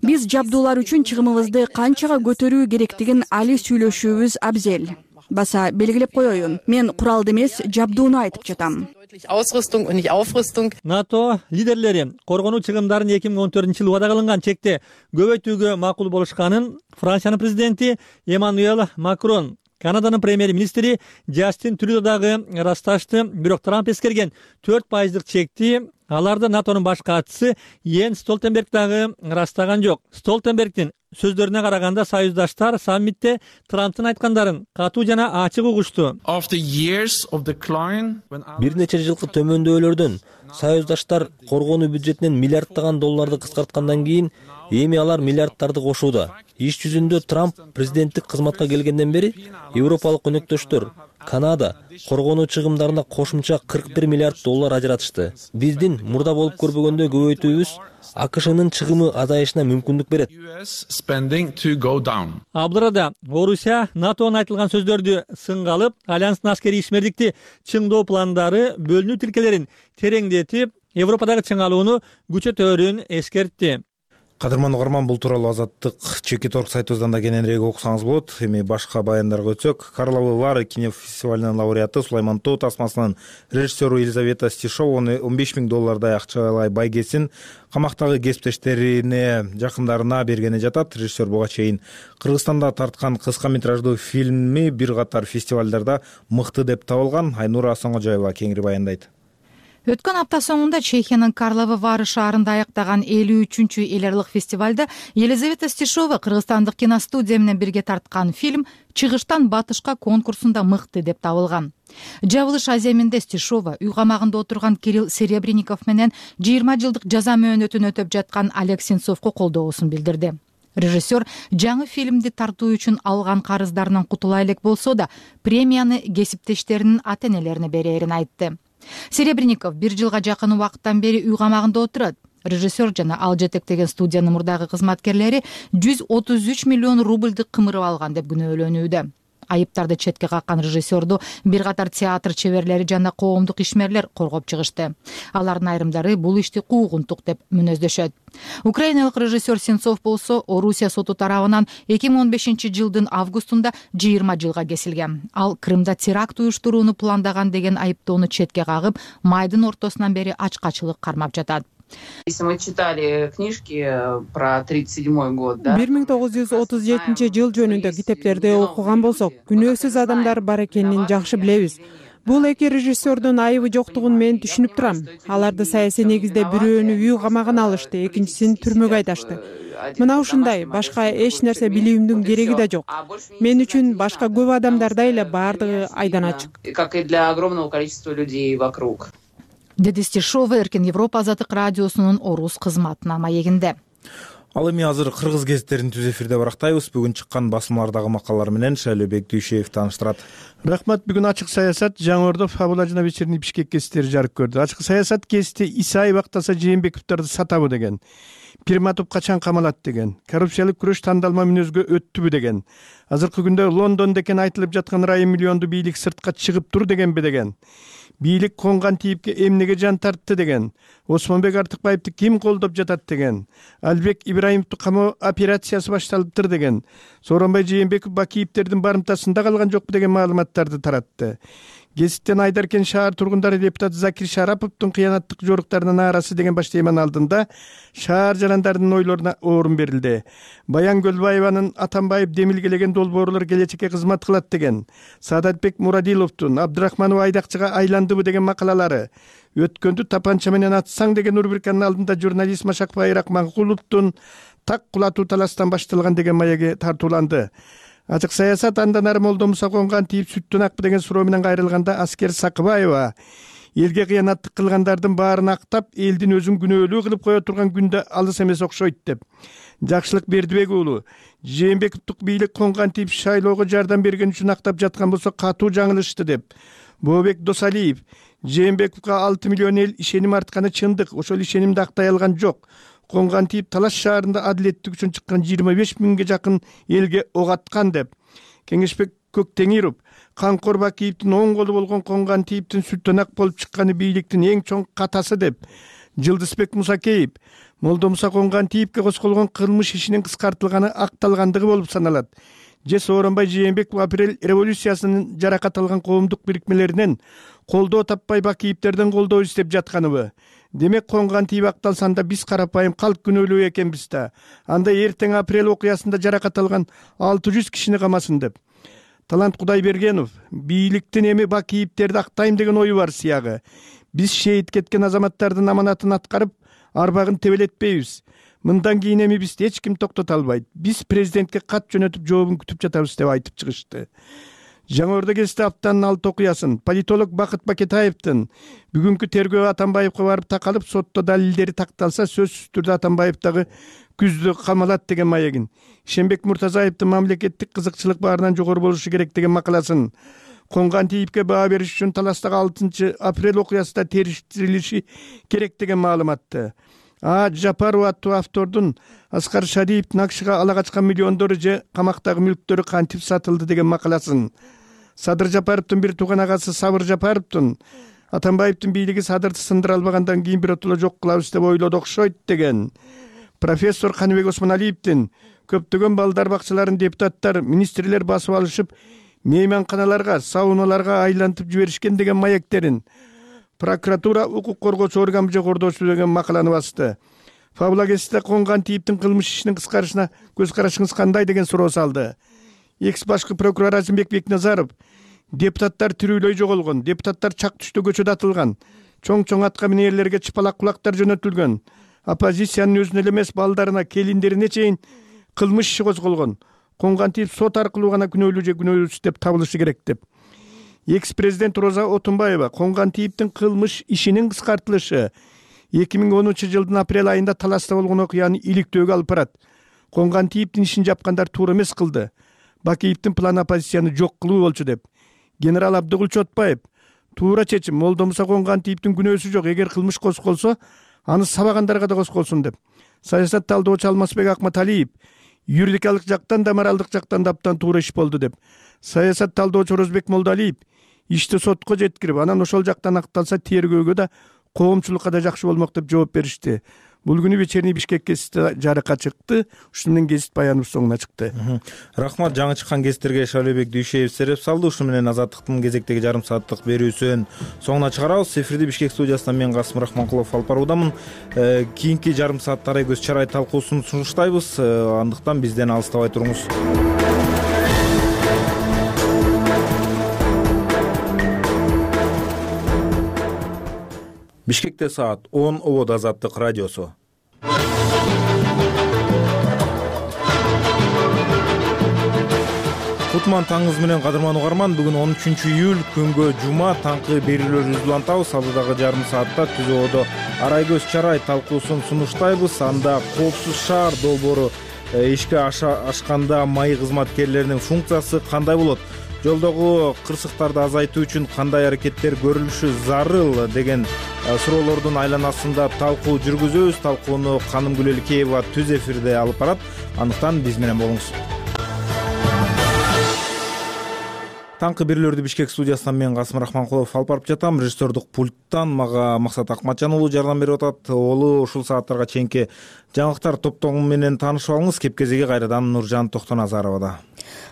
Биз жабдуулар үчүн чыгымыбызды канчага көтөрүү керектигин али сүйлөшүүбүз абзел. Баса белгилеп коеюн, мен куралды эмес, жабдууну айтып жатам. НАТО лидерлери коргонуу чыгымдарын 2014-жылы убада кылынган чекте көбөйтүүгө макул болушканын Франциянын президенти Эммануэль Макрон, Канаданын премьер-министри Джастин Трюдо дагы ырасташты. Бирок Трамп эскерген 4%дык чекти аларды НАТОнун баш катчысы Йенс Столтенберг дагы ырастаган жок. Столтенбергдин сөздөрүнө караганда, союздаштар саммитте Трамптын айткандарын катуу жана ачык угушту. Бир нече жылкы төмөндөөлөрдөн союздаштар коргонуу бюджетинен миллиарддаган долларды кыскарткандан кийин эми алар миллиарддарды кошууда. Иш жүзүндө Трамп президенттик кызматка келгенден бери европалык өнөктөштөр Канада коргонуу чыгымдарына кошумча 41 миллиард доллар ажыратышты. Биздин мурда болуп көрбөгөндөй көбөйтүүбүз АКШнын чыгымы азайышына мүмкүндүк берет. Ал арада Орусия НАТОнун айтылган сөздөрдү сынга алып, альянстын аскерий ишмердикти чыңдоо пландары бөлүнүү тилкелерин тереңдетип, Европадагы чыңалууну күчөтөөрүн эскертти. Кадырман угарман, бул тууралуу Азаттык Чекиторг сайтыбыздан да кененирээк окусаңыз болот. Эми башка баяндарга өтсөк, Карловы Вары кинофестивалынын лауреаты Сулайман Тоо тасмасынын режиссеру Елизавета Стишова $15,000 акчалай байгесин камактагы кесиптештерине, жакындарына бергени жатат. Режиссер буга чейин Кыргызстанда тарткан кыска метраждуу фильми бир катар фестивалдарда мыкты деп табылган. Айнура Асоңожоева кеңири баяндайт. Өткөн апта соңунда Чехиянын Карловы Вары шаарында аяктаган 53-чү эл аралык фестивалда Елизавета Стишова кыргызстандык киностудия менен бирге тарткан фильм «Чыгыштан батышка» конкурсунда мыкты деп табылган. Жабылыш аземинде Стишова үй камагында отурган Кирилл Серебренников менен 20 жылдык жаза мөөнөтүн өтөп жаткан Олег Сенцовго колдоосун билдирди. Режиссер жаңы фильмди тартуу үчүн алган карыздарынан кутула элек болсо да, премияны кесиптештеринин ата-энелерине берерин айтты. Серебренников 1 жылга жакын убакыттан бери үй камагында отурат. Режиссер жана ал жетектеген студиянын мурдагы кызматкерлери 133 миллион рубльды кымырып алган деп күнөөлөнүүдө. Айыптарды четке каккан режиссерду бир катар театр чеберлери жана коомдук ишмерлер коргоп чыгышты. Алардын айрымдары бул ишти куугунтук деп мүнөздөшөт. Украиналык режиссер Сенцов болсо Орусия соту тарабынан 2015-жылдын августунда 20 жылга кесилген. Ал Крымда теракт уюштурууну пландаган деген айыптоону четке кагып, майдын ортосунан бери ачкачылык кармап жатат. Если мы читали книжки про 37-й год, да? 1937 жыл жөнүндө китептерди окуган болсок, күнөөсүз адамдар бар экенин жакшы билебиз. Бул эки режиссердун айыбы жоктугун мен түшүнүп турам. Аларды саясий негизде бирөөнү үй камагына алышты, экинчисин түрмөгө айдашты. Мына ушундай, башка эч нерсе билүүмдүн кереги да жок. Мен үчүн башка көп адамдардай эле баардыгы айдан ачык. Как и для огромного количества людей вокруг. Деди Стишова Эркин Европа Азаттык радиосунун орус кызматына маегинде. Ал эми азыр кыргыз гезиттерин түз эфирде барактайбыз. Бүгүн чыккан басмалардагы макалалар менен Шайлообек Дүйшеев тааныштырат. Рахмат. Бүгүн ачык саясат Жаңы-Ордо Фабула жана вечерний Бишкек гезиттери жарык көрдү. Ачык саясат гезити Исаев актаса Жээнбековдорду сатабы деген, Пирматов качан камалат деген, коррупциялык күрөш тандалма мүнөзгө өттүбү деген, азыркы күндө Лондондо экен айтылып жаткан райым миллионду бийлик сыртка чыгып тур дегенби деген, бийлик конган тийипке эмнеге жан тартты деген, Осмонбек Артыкбаевди ким колдоп жатат деген, Албек Ибраимовду камоо операциясы башталыптыр деген, Сооронбай Жээнбеков Бакиевдердин барымтасында калган жокпу деген маалыматтарды таратты. Гезиттен Айдаркен шаар тургундары депутат Закир Шараповдун кыянаттык жоруктарына нааразы деген баш теманы алдында шаар жарандарынын ойлоруна орун берилди. Баян Көлбаеванын Атамбаев демилгелеген долбоорлор келечекке кызмат кылат деген, Саадатбек Мурадиловдун Абдырахманов айдакчыга айландыбы деген макалалары, өткөндү тапанча менен атсаң деген рубриканын алдында журналист Машак Байрак Маңкуловдун так кулатуу таластан башталган деген маеги тартууланды. Ачык саясат андан ары Молдо Муса конган тийип сүттөн акпы деген суроо менен кайрылганда Аскер Сакыбаева элге кыянаттык кылгандардын баарын актап, элдин өзүн күнөөлүү кылып кое турган күндө алыс эмес окшойт деп. Жакшылык Бердибек уулу Жээнбековдук бийлик конган тийип шайлоого жардам берген үчүн актап жаткан болсо катуу жаңылышты деп. Бообек Досалиев Жээнбековго 6 миллион эл ишеним артканы чындык, ошол ишенимди актай алган жок. Конган тийип Талаш шаарында адилеттик үчүн чыккан 25 миңге жакын элге ок аткан деп. Кеңешбек Көктеңиров Канкор Бакиевдин оң колу болгон конган тийиптин сүттөн ак болуп чыкканы бийликтин эң чоң катасы деп. Жылдызбек Мусакеев Молдо Муса конган тийипке косколгон кылмыш ишинин кыскартылганы акталгандыгы болуп саналат. Же Сооронбай Жээнбеков апрель революциясынын жаракат алган коомдук бирикмелеринен колдоо таппай Бакиевдерден колдоо издеп жатканыбы. Демек конган тийип акталсанда биз карапайым калк күнөөлүү экенбиз да. Анда эртең апрель окуясында жаракат алган 600 кишини камасын деп. Талант Кудайбергенов бийликтин эми Бакиевдерди актайм деген ою бар сыягы. Биз шейит кеткен азаматтардын аманатын аткарып, арбагын тебелетпейбиз. Мындан кийин эми бизди эч ким токтото албайт. Биз президентке кат жөнөтүп жообун күтүп жатабыз деп айтып чыгышты. Жаңы-Ордо гезити аптанын 6 окуясын политолог Бакыт Бакетаевдин бүгүнкү тергөө Атамбаевга барып такалып, сотто далилдери такталса сөзсүз түрдө Атамбаев дагы күздө камалат деген маегин, Ишенбек Муртазаевдин мамлекеттик кызыкчылык баарынан жогору болушу керек деген макаласын, конган тийипке баа бериш үчүн Таластагы 6 апрель окуясында териштирилиши керек деген маалыматты. Жапаров аттуу автордун Аскар Шадиевдин акшыга ала качкан миллиондору же камактагы мүлктөрү кантип сатылды деген макаласын, Садыр Жапаровдун бир тууган агасы Сабыр Жапаровдун Атамбаевдин бийлиги Садырды сындыра албагандан кийин биротоло жок кылабыз деп ойлоду окшойт деген, профессор Каныбек Осмоналиевдин көптөгөн балдар бакчаларын депутаттар, министрлер басып алышып, мейманканаларга, сауналарга айлантып жиберишкен деген маектерин, прокуратура укук коргоочу орган жогордосу деген макаланы басты. Фабула гезитте конган тийиптин кылмыш ишинин кыскарышына көз карашыңыз кандай деген суроо салды. Экс башкы прокурор Азимбек Бекназаров депутаттар тирүүлөй жоголгон, депутаттар чак түштө көчөдө атылган, чоң атка минерлерге чыпалак кулактар жөнөтүлгөн, оппозициянын өзүнө эле эмес балдарына, келиндерине чейин кылмыш иши козголгон, конган тийип сот аркылуу гана күнөөлүү же күнөөлүүсүз деп табылышы керек деп. Экс-президент Роза Отунбаева конган тийиптин кылмыш ишинин кыскартылышы 2010 жылдын апрель айында Таласта болгон окуяны иликтөөгө алып барат. Конган тийиптин ишин жапкандар туура эмес кылды. Бакиевдин планы оппозицияны жок кылуу болчу деп. Генерал Абдыгул Чотбаев туура чечим, Молдо Муса конган тийиптин күнөөсү жок, эгер кылмыш козголсо аны сабагандарга да козголсун деп. Саясат талдоочу Алмазбек Акматалиев юридикалык жактан да моралдык жактан да абдан туура иш болду деп саясат талдоочу Орозбек Молдоалиев ишти сотко жеткирип, анан ошол жактан акталса тергөөгө да коомчулукка да жакшы болмок деп жооп беришти. Бул күнү вечерний Бишкек гезити жарыкка чыкты. Ушуну менен гезит баяныбыз соңуна чыкты. Рахмат, жаңы чыккан гезиттерге Шалебек Дүйшеев сереп салды. Ушуну менен Азаттыктын кезектеги жарым сааттык берүүсүн соңуна чыгарабыз. Эфирди Бишкек студиясынан мен Касым Рахманкулов алып баруудамын. Кийинки жарым саатта Арай көз чарай талкуусун сунуштайбыз. Андыктан бизден алыстабай туруңуз. Бишкекте саат 10, Обод Азаттык радиосу. Кутман таңыңыз менен кадырман угарман, бүгүн 13 июль күнгө жума, таңкы берүүлөрүбүздү улантабыз. Алдыдагы жарым саатта Түз Ободо Арай көз чарай талкуусун сунуштайбыз. Анда коопсуз шаар долбоору ишке ашканда маи кызматкерлеринин функциясы кандай болот? Жолдогу кырсыктарды азайтуу үчүн кандай аракеттер көрүлүшү зарыл деген суроолордун айланасында талкуу жүргүзөбүз. Талкууну Канымгүл Элкеева түз эфирде алып барат. Андыктан биз менен болуңуз. Таңкы берүүлөрдү Бишкек студиясынан мен Касым Рахманкулов алып барып жатам. Режиссердук пульттан мага Максат Акматжан уулу жардам берип атат. Олу ушул сааттарга чейинки жаңылыктар топтому менен таанышып алыңыз. Кепкезеги кайрадан Нуржан Токтоназаровада.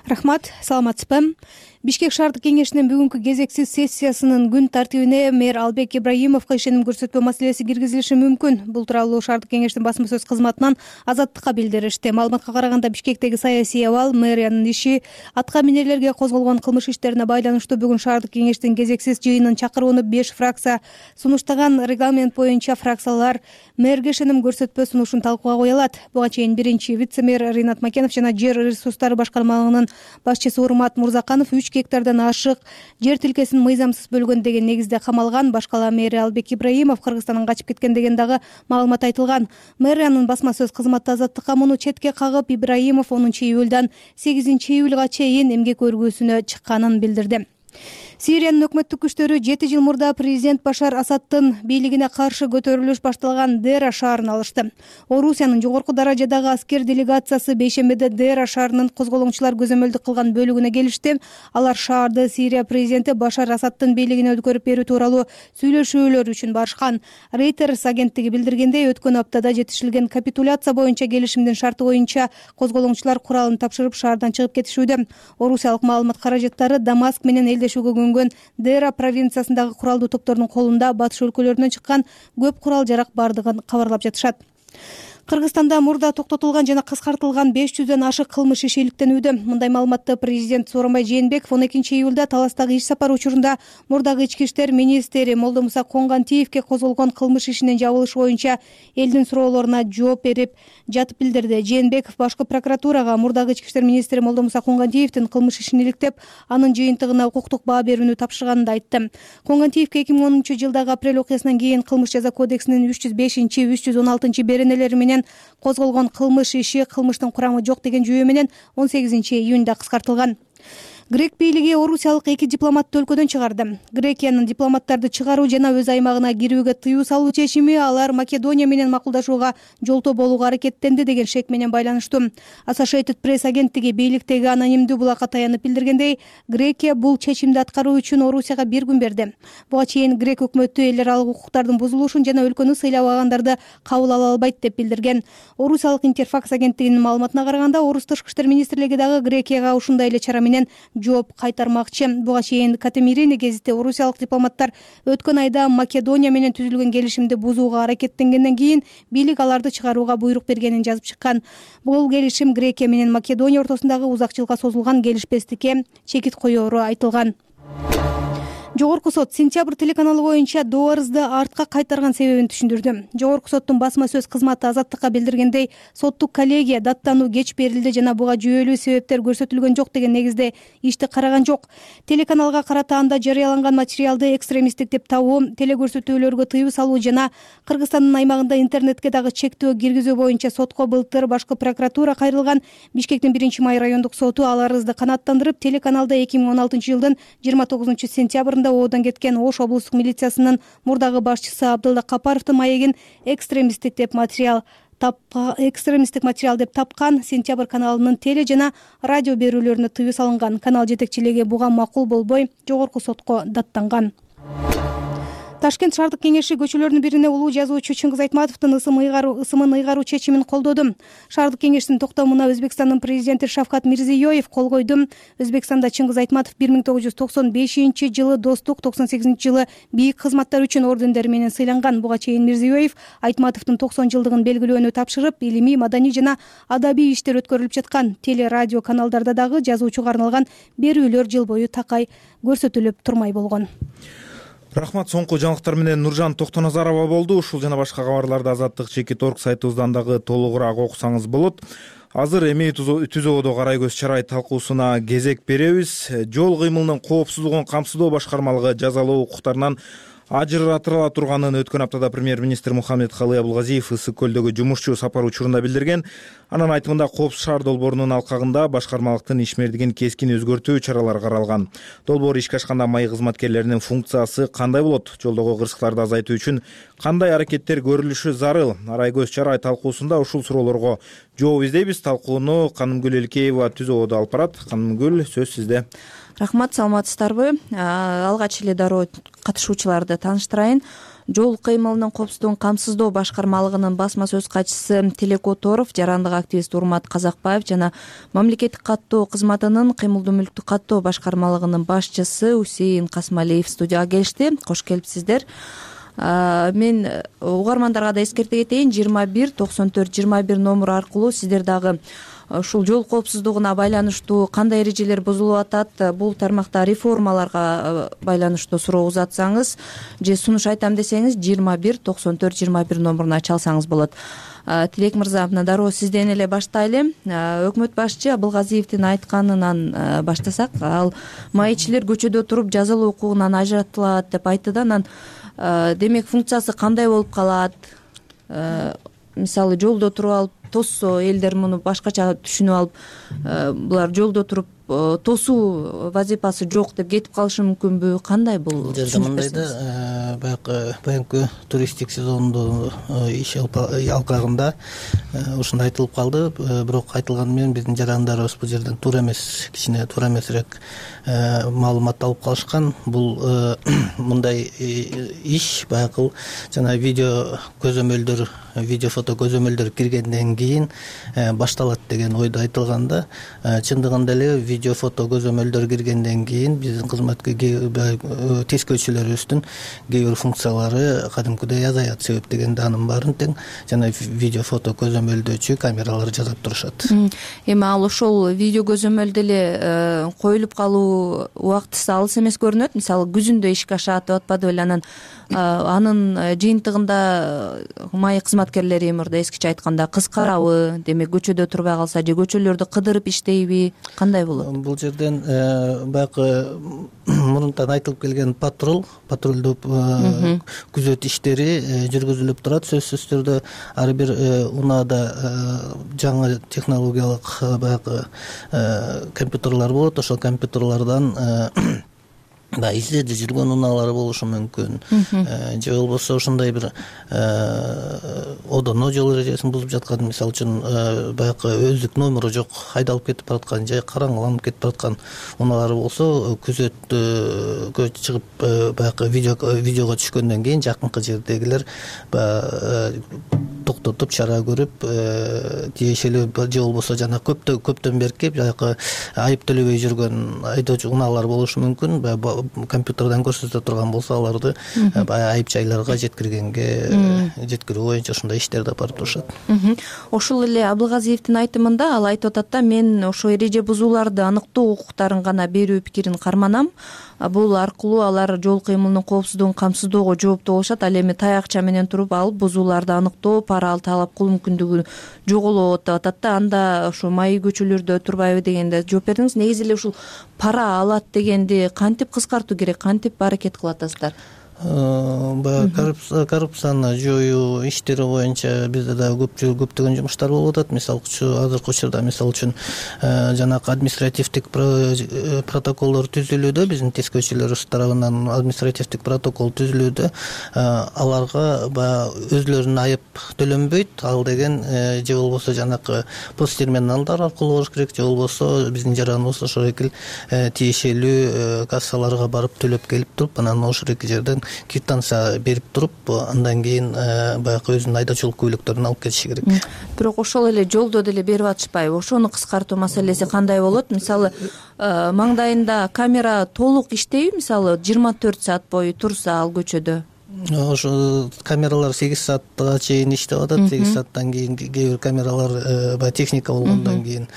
Рахмат, саламатсызбы? Бишкек шаардык кеңешинин бүгүнкү кезексиз сессиясынын күн тартибине мэр Албек Ибраимовго ишеним көрсөтпөө маселеси киргизилиши мүмкүн. Бул тууралуу шаардык кеңештин басма сөз кызматынан Азаттыкка билдиришти. Маалыматка караганда Бишкектеги саясий абал, мэриянын иши, атка минерлерге козголгон кылмыш иштерине байланыштуу бүгүн шаардык кеңештин кезексиз жыйынын чакырууну 5 фракция сунуштаган. Регламент боюнча фракциялар мэрге ишеним көрсөтпөө сунушун талкууга кое алат. Буга чейин биринчи вице-мэр Ринат Макенов жана жер ресурстары башкармалыгынын башчысы Урмат Мурзаканов 3 гектардан ашык жер тилкесин мыйзамсыз бөлгөн деген негизде камалган. Башкала мэри Албек Ибраимов Кыргызстандан качып кеткен деген дагы маалымат айтылган. Мэриянын басма сөз кызматы Азаттыкка муну четке кагып, Ибраимов 10 июлдан 8 июлга чейин эмгек өргүүсүнө чыкканын билдирди. Сириянын өкмөттүк күчтөрү 7 жыл мурда президент Башар Асадтын бийлигине каршы көтөрүлүш башталган Дера шаарын алышты. Орусиянын жогорку даражадагы аскер делегациясы бейшембиде Дера шаарынын козголоңчулар көзөмөлдүк кылган бөлүгүнө келишти. Алар шаарды Сирия президенти Башар Асадтын бийлигине өткөрүп берүү тууралуу сүйлөшүүлөр үчүн барышкан. Reuters агенттиги билдиргендей, өткөн аптада жетишилген капитуляция боюнча келишимдин шарты боюнча козголоңчулар куралын тапшырып шаардан чыгып кетишүүдө. Орусиялык маалымат каражаттары Дамаск менен элдешүүгө Дера провинциясындагы куралдуу топтордун колунда батыш өлкөлөрүнөн чыккан көп курал жарак бардыгын кабарлап жатышат. Кыргызстанда мурда токтотулган жана кыскартылган 500дөн ашык кылмыш иши иликтенүүдө. Мындай маалыматты президент Сооронбай Жээнбеков 12 июлда Таластагы иш сапар учурунда мурдагы ички иштер министри Молдомуса Конгантиевке козголгон кылмыш ишинин жабылышы боюнча элдин суроолоруна жооп берип жатып билдирди. Жээнбеков башкы прокуратурага мурдагы ички иштер министри Молдомуса Конгантиевдин кылмыш ишин иликтеп, анын жыйынтыгына укуктук баа берүүнү тапшырганын айтты. Конгантиевке 2010 жылдагы апрель окуясынан кийин кылмыш жаза кодексинин 305-316 беренелери менен козголгон кылмыш иши кылмыштын курамы жок деген жүйө менен 18 июнда кыскартылган. Грек бийлиги орусиялык 2 дипломатты өлкөдөн чыгарды. Грекиянын дипломаттарды чыгаруу жана өз аймагына кирүүгө тыюу салуу чечими алар Македония менен макулдашууга жолтоо болууга аракеттенди деген шек менен байланыштуу. Associated Press агенттиги бийликтеги анонимдүү булакка таянып билдиргендей, Грекия бул чечимди аткаруу үчүн Орусияга 1 күн берди. Буга чейин Грек өкмөтү эл аралык укуктардын бузулушун жана өлкөнү сыйлабагандарды кабыл ала албайт деп билдирген. Орусиялык Интерфакс агенттигинин маалыматына караганда, Орус тышкы иштер министрлиги дагы Грекияга ушундай эле чара менен жооп кайтармакчы. Буга чейин Катемирини гезити орусиялык дипломаттар өткөн айда Македония менен түзүлгөн келишимди бузууга аракеттенгенден кийин бийлик аларды чыгарууга буйрук бергенин жазып чыккан. Бул келишим Грекия менен Македония ортосундагы узак жылга созулган келишпестикке чекит коеру айтылган. Жогорку сот Сентябрь телеканалы боюнча доо арызды артка кайтарган себебин түшүндүрдү. Жогорку соттун басма сөз кызматы Азаттыкка билдиргендей, соттук коллегия даттануу кеч берилди жана буга жүйөлүү себептер көрсөтүлгөн жок деген негизде ишти караган жок. Телеканалга карата анда жарыяланган материалды экстремисттик деп табуу, телекөрсөтүүлөргө тыюу салуу жана Кыргызстандын аймагында интернетке дагы чектөө киргизүү боюнча сотко былтыр башкы прокуратура кайрылган. Бишкектин 1-май райондук соту ал арызды канааттандырып, телеканалда 2016 жылдын 29 сентябрында айларында оодон кеткен Ош облустук милициясынын мурдагы башчысы Абдылла Капаровдун маегин экстремисттик материал деп тапкан Сентябрь каналынын теле жана радио берүүлөрүнө тыюу салынган. Канал жетекчилиги буга макул болбой жогорку сотко даттанган. Ташкент шаардык кеңеши көчөлөрдүн бирине улуу жазуучу Чыңгыз Айтматовдун ысымын ыйгаруу чечимин колдоду. Шаардык кеңештин токтомуна Өзбекстандын президенти Шавкат Мирзиёев кол койду. Өзбекстанда Чыңгыз Айтматов 1995-жылы достук, 98-жылы бийик кызматтар үчүн ордендери менен сыйланган. Буга чейин Мирзиёев Айтматовдун 90 жылдыгын белгилөөнү тапшырып, илимий, маданий жана адабий иштер өткөрүлүп жаткан. Теле радио каналдарда дагы жазуучуга арналган берүүлөр жыл бою такай көрсөтүлүп турмай болгон. Рахмат. Соңку жаңылыктар менен Нуржан Токтоназарова болду. Ушул жана башка кабарларды Азаттык.org сайтыбыздан дагы толугураак окусаңыз болот. Азыр эми түзөөдө карай көз чарай талкуусуна кезек беребиз. Жол кыймылынын коопсуздугун камсыздоо башкармалыгы жазалоо укуктарынан ажыратыла турганын өткөн аптада премьер-министр Мухаммедкалый Абылгазиев Ысык көлдөгү жумушчу сапар учурунда билдирген. Анын айтымында Коопсуз шаар долбоорунун алкагында башкармалыктын ишмердигин кескин өзгөртүү чаралары каралган. Долбоор ишке ашканда маи кызматкерлеринин функциясы кандай болот? Жолдогу кырсыктарды азайтуу үчүн кандай аракеттер көрүлүшү зарыл? Арай көз чарай талкуусунда ушул суроолорго жооп издейбиз. Талкууну Канымгүл Элкеева түзөөдө алып барат. Канымгүл, сөз сизде. Рахмат, саламатсыздарбы? Алгач эле дароо катышуучуларды тааныштырайын. Жол кыймылынын коопсуздугун камсыздоо башкармалыгынын басма сөз катчысы Тилек Оторов, жарандык активист Урмат Казакбаев жана мамлекеттик каттоо кызматынын кыймылдуу мүлктү каттоо башкармалыгынын башчысы Усейин Касмалиев студияга келишти. Кош келипсиздер. Мен угармандарга да эскерте кетейин, 21-94-21 номуру аркылуу сиздер дагы ушул жол коопсуздугуна байланыштуу кандай эрежелер бузулуп атат, бул тармакта реформаларга байланыштуу суроо узатсаңыз же сунуш айтам десеңиз 21-94-21 номуруна чалсаңыз болот. Тилек мырза, мына дароо сизден эле баштайлы. Өкмөт башчы Абылгазиевдин айтканынан баштасак, ал маекчилер көчөдө туруп жазалоо укугунан ажыратылат деп айтты да, анан демек функциясы кандай болуп калат? Мисалы, жолдо туруп алып тоссо, элдер муну башкача түшүнүп алып, булар жолдо туруп тосуу вазифасы жок деп кетип калышы мүмкүнбү? Кандай бул? Бул жерде мындай да, баягы туристтик сезондо иш алкагында ушундай айтылып калды. Бирок айтылганы менен биздин жарандарыбыз бул жерден туура эмес, кичине туура эмесирээк маалымат алып калышкан. Бул мындай иш баягы жана видео көзөмөлдөр, видео фото көзөмөлдөр киргенден кийин башталат деген ойдо айтылган да. Чындыгында эле видео фото көзөмөлдөр киргенден кийин биздин тескөөчүлөрүбүздүн кээ бир функциялары кадимкидей азаят. Себеп дегенде анын баарын тең жана видео фото көзөмөлдөөчү камералар жасап турушат. Эми ал ошол видео көзөмөлдө эле коюлуп калуу убактысы алыс эмес көрүнөт. Мисалы, күзүндө ишке ашат деп атпады беле, анын жыйынтыгында маи кызматкерлери мурда эскиче айтканда кыскарабы? Демек көчөдө турбай калса же көчөлөрдү кыдырып иштейби? Кандай болот? Бул жерден баягы мурунтан айтылып келген патрулдуу күзөт иштери жүргүзүлүп турат. Сөзсүз түрдө ар бир унаада жаңы технологиялык баягы компьютерлар болот. Ошол компьютерлардан изледи жүргөн унаалар болушу мүмкүн. Же болбосо ошондой бир одоно жол эрежесин бузуп жаткан, мисалы үчүн баягы өздүк номеру жок, айдалып кетип бараткан же караңгыланып кетип бараткан унаалар болсо, күзөткө чыгып баягы видеого түшкөндөн кийин жакынкы жердегилер токтотуп чара көрүп, тиешелүү же болбосо жана көптөн берки баягы айып төлөбөй жүргөн айдоочу унаалар болушу мүмкүн. Компьютерден көрсөтө турган болсо, аларды айып жайларга жеткирүү боюнча ушундай иштерди алып барып турушат. Ошол эле Абылгазиевдин айтымында ал айтып атат да, мен ошо эреже бузууларды аныктоо укуктарын гана берүү пикирин карманам. Бул аркылуу алар жол кыймылынын коопсуздугун камсыздоого жооптуу болушат. Ал эми таякча менен туруп алып бузууларды аныктоо, пара талап кылуу мүмкүндүгү жоголот деп атат да. Анда ошо маи көчөлөрдө турбайбы дегенде жооп бердиңиз. Негизи эле ушул пара алат дегенди кантип кыскартуу керек, кантип аракет кылып атасыздар? баягы коррупцияны жоюу иштери боюнча бизде дагы көптөгөн жумуштар болуп атат. Мисалы азыркы учурда мисалы үчүн жанагы административдик протоколдор түзүлүүдө, биздин тескөөчүлөрүбүз тарабынан административдик протокол түзүлүүдө, аларга баягы өзлөрүнүн айып төлөнбөйт, ал деген же болбосо жанакы пост терминалдар аркылуу болуш керек, же болбосо биздин жараныбыз ошол эки тиешелүү кассаларга барып төлөп келип туруп, анан ошол эки жерден квитанция берип туруп, андан кийин баягы өзүнүн айдоочулук көйлөктөрүн алып кетиши керек. Бирок ошол эле жолдо деле берип атышпайбы? Ошону кыскартуу маселеси кандай болот? Мисалы, маңдайында камера толук иштейби? Мисалы, 24 саат бою турса ал көчөдө. Ошо камералар 8 саатка чейин иштеп атат. 8 сааттан кийин кээ бир камералар баягы техника болгондон кийин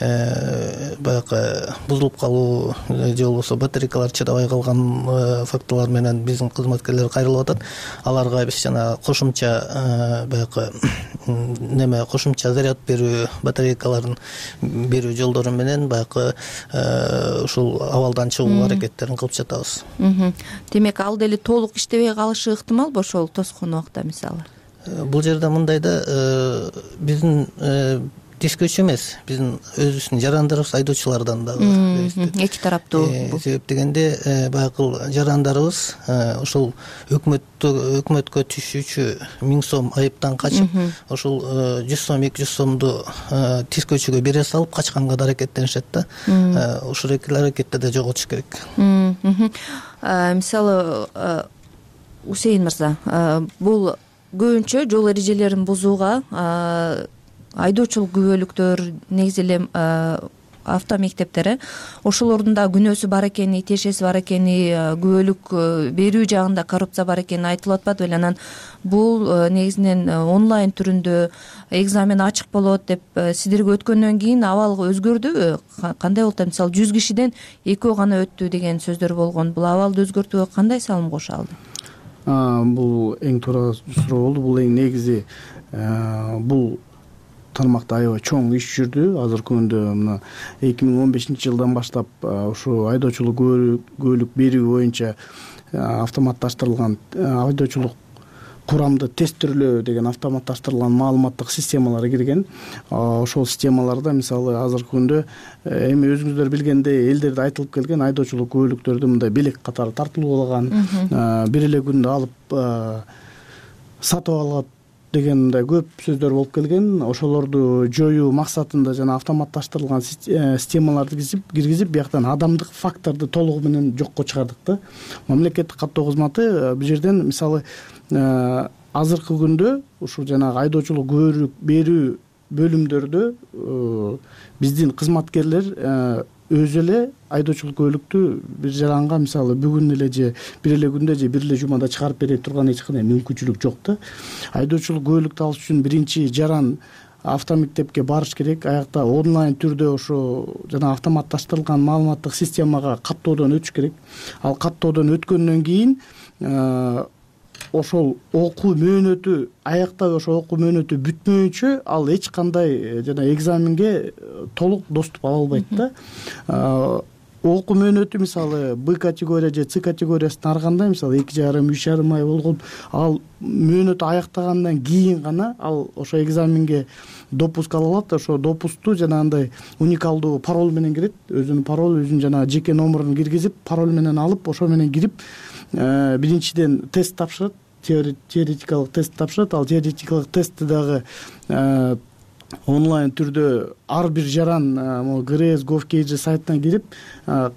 баягы бузулуп калуу же болбосо батарейкалар чыдабай калган фактылар менен биздин кызматкерлер кайрылып атат. Аларга биз жана кошумча баягы кошумча заряд берүү батарейкаларын берүү жолдору менен баягы ушул абалдан чыгуу аракеттерин кылып жатабыз. Демек, ал деле толук иштебей калышы ыктымалбы ошол тоскон убакта мисалы? Бул жерде мындай да, биздин тескөөчү эмес, биздин өзүбүздүн жарандарыбыз айдоочулардан дагы эки тараптуу. Себеп дегенде баягы жарандарыбыз ошол өкмөткө түшүүчү 1000 сом айыптан качып, ошол 100 сом 200 сомду тескөөчүгө бере салып качканга да аракеттенишет да. Ошол эки аракетти да жоготуш керек. Мисалы, Усейин мырза, бул көбүнчө жол эрежелерин бузууга айдоочулук күбөлүктөр, негизи эле автомектептер, ошолордун да күнөөсү бар экени, тиешеси бар экени, күбөлүк берүү жагында коррупция бар экени айтылып атпады беле? Анан бул негизинен онлайн түрүндө экзамен ачык болот деп сиздерге өткөндөн кийин абал өзгөрдүбү? Кандай болду? Мисалы, 100 кишиден 2 гана өттү деген сөздөр болгон. Бул абалды өзгөртүүгө кандай салым кошо алды? Бул эң туура суроо болду. Бул эң негизи, бул тармакта аябай чоң иш жүрдү. Азыркы күндө мына 2015-жылдан баштап ушу айдоочулук күбөлүк берүү боюнча автоматташтырылган айдоочулук курамды тестирлөө деген автоматташтырылган маалыматтык системалар кирген. Ошол системаларда мисалы азыркы күндө эми өзүңүздөр билгендей элдерде айтылып келген айдоочулук күбөлүктөрдү мындай белек катары тартылуулаган, бир эле күндө алып сатып алат деген мындай көп сөздөр болуп келген. Ошолорду жоюу максатында жана автоматташтырылган системаларды киргизип, бияктан адамдык факторду толугу менен жокко чыгардык да. Мамлекеттик каттоо кызматы бул жерден мисалы азыркы күндө ушул жанагы айдоочулук күбөлүк берүү бөлүмдөрдө биздин кызматкерлер өзү эле айдоочулук күбөлүктү бир жаранга мисалы бүгүн эле же бир эле күндө же бир эле жумада чыгарып бере турган эч кандай мүмкүнчүлүк жок да. Айдоочулук күбөлүктү алыш үчүн биринчи жаран автомектепке барыш керек, аякта онлайн түрдө ошо жана автоматташтырылган маалыматтык системага каттоодон өтүш керек. Ал каттоодон өткөндөн кийин ошол окуу мөөнөтү аякта ошол окуу мөөнөтү бүтмөйүнчө ал эч кандай жана экзаменге толук доступ ала албайт да. Окуу мөөнөтү мисалы Б категория же С категориясына арганда мисалы 2,5-3,5 ай болгон, ал мөөнөтү аяктагандан кийин гана ал ошо экзаменге допуск ала алат. Ошо допусту жанагындай уникалдуу пароль менен кирет, өзүнүн пароль, өзүнүн жанагы жеке номерун киргизип, пароль менен алып, ошо менен кирип биринчиден тест тапшырат, теоретикалык тест тапшырат. Ал теоретикалык тестти дагы онлайн түрдө ар бир жаран ГРС Gov.kg сайтына кирип,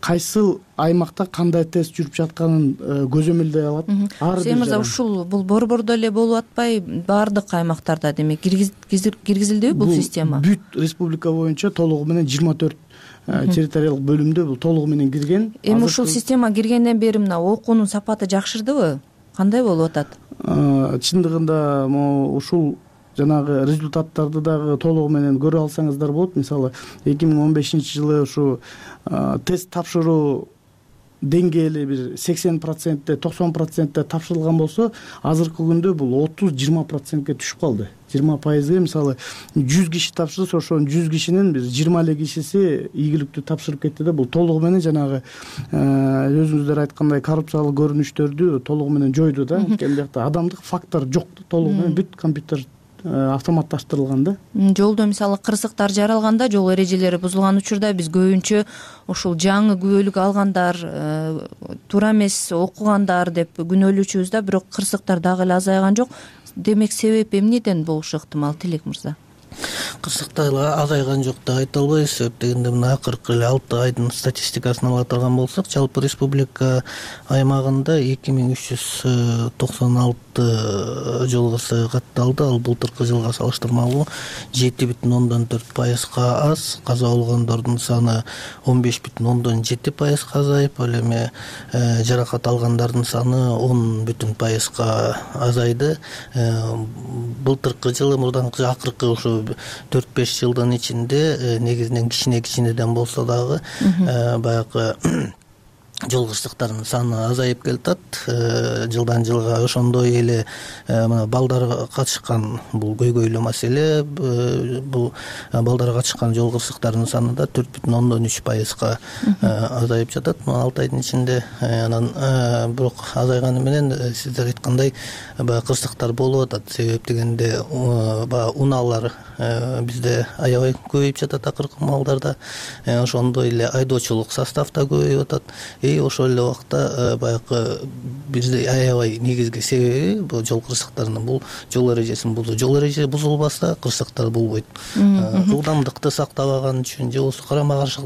кайсыл аймакта кандай тест жүрүп жатканын көзөмөлдөй алат. Усейин мырза, ушул бул борбордо эле болуп атпай, баардык аймактарда демек киргизилдиби бул система? Бүт республика боюнча толугу менен 24 территориялык бөлүмдө бул толугу менен кирген. Эми ушул система киргенден бери мына окуунун сапаты жакшырдыбы? Кандай болуп атат? Чындыгында ушул жанагы результаттарды дагы толугу менен көрө алсаңыздар болот. Мисалы 2015-жылы ушу тест тапшыруу деңгээли бир 80%, 90% тапшырылган болсо, азыркы күндө бул 30-20%ге түшүп калды. 20%ге мисалы 100 киши тапшырса, ошонун 100 кишинин бир 20 эле кишиси ийгиликтүү тапшырып кетти да. Бул толугу менен жанагы өзүңүздөр айткандай коррупциялык көрүнүштөрдү толугу менен жойду да. Анткени биякта адамдык фактор жок, толугу менен бүт компьютер автоматташтырылган да. Жолдо мисалы кырсыктар жаралганда, жол эрежелери бузулган учурда биз көбүнчө ушул жаңы күбөлүк алгандар, туура эмес окугандар деп күнөөлөчүбүз да, бирок кырсыктар дагы эле азайган жок. Демек себеп эмнеден болушу ыктымал, Тилек мырза? Кырсыктар азайган жок деп айта албайбыз. Себеп дегенде мына акыркы 6 айдын статистикасын ала турган болсок, жалпы республика аймагында 2396 жол кырсыгы катталды. Ал былтыркы жылга салыштырмалуу 7,4%га аз. Каза болгондордун саны 15,7%га азайып, ал эми жаракат алгандардын саны 10,5%га азайды. Былтыркы жылы мурданкы акыркы ушу 4-5 жылдын ичинде негизинен кичинеден болсо дагы баягы жол кырсыктарынын саны азайып келатат. Жылдан жылга ошондой эле мына балдар катышкан бул көйгөйлүү маселе. Бул балдар катышкан жол кырсыктарынын саны да 4,3%га азайып жатат. 6 айдын ичинде. Анан бирок азайганы менен сиздер айткандай баягы кырсыктар болуп атат. Себеп дегенде баягы унаалар бизде аябай көбөйүп жатат акыркы маалдарда. Ошондой эле айдоочулук состав да көбөйүп атат. Ошол эле убакта баягы бизде аябай негизги себеби бул жол кырсыктарынын бул жол эрежесин бузуу. Жол эрежеси бузулбаса кырсыктар болбойт. Ылдамдыкты сактабаган үчүн же болбосо карама каршы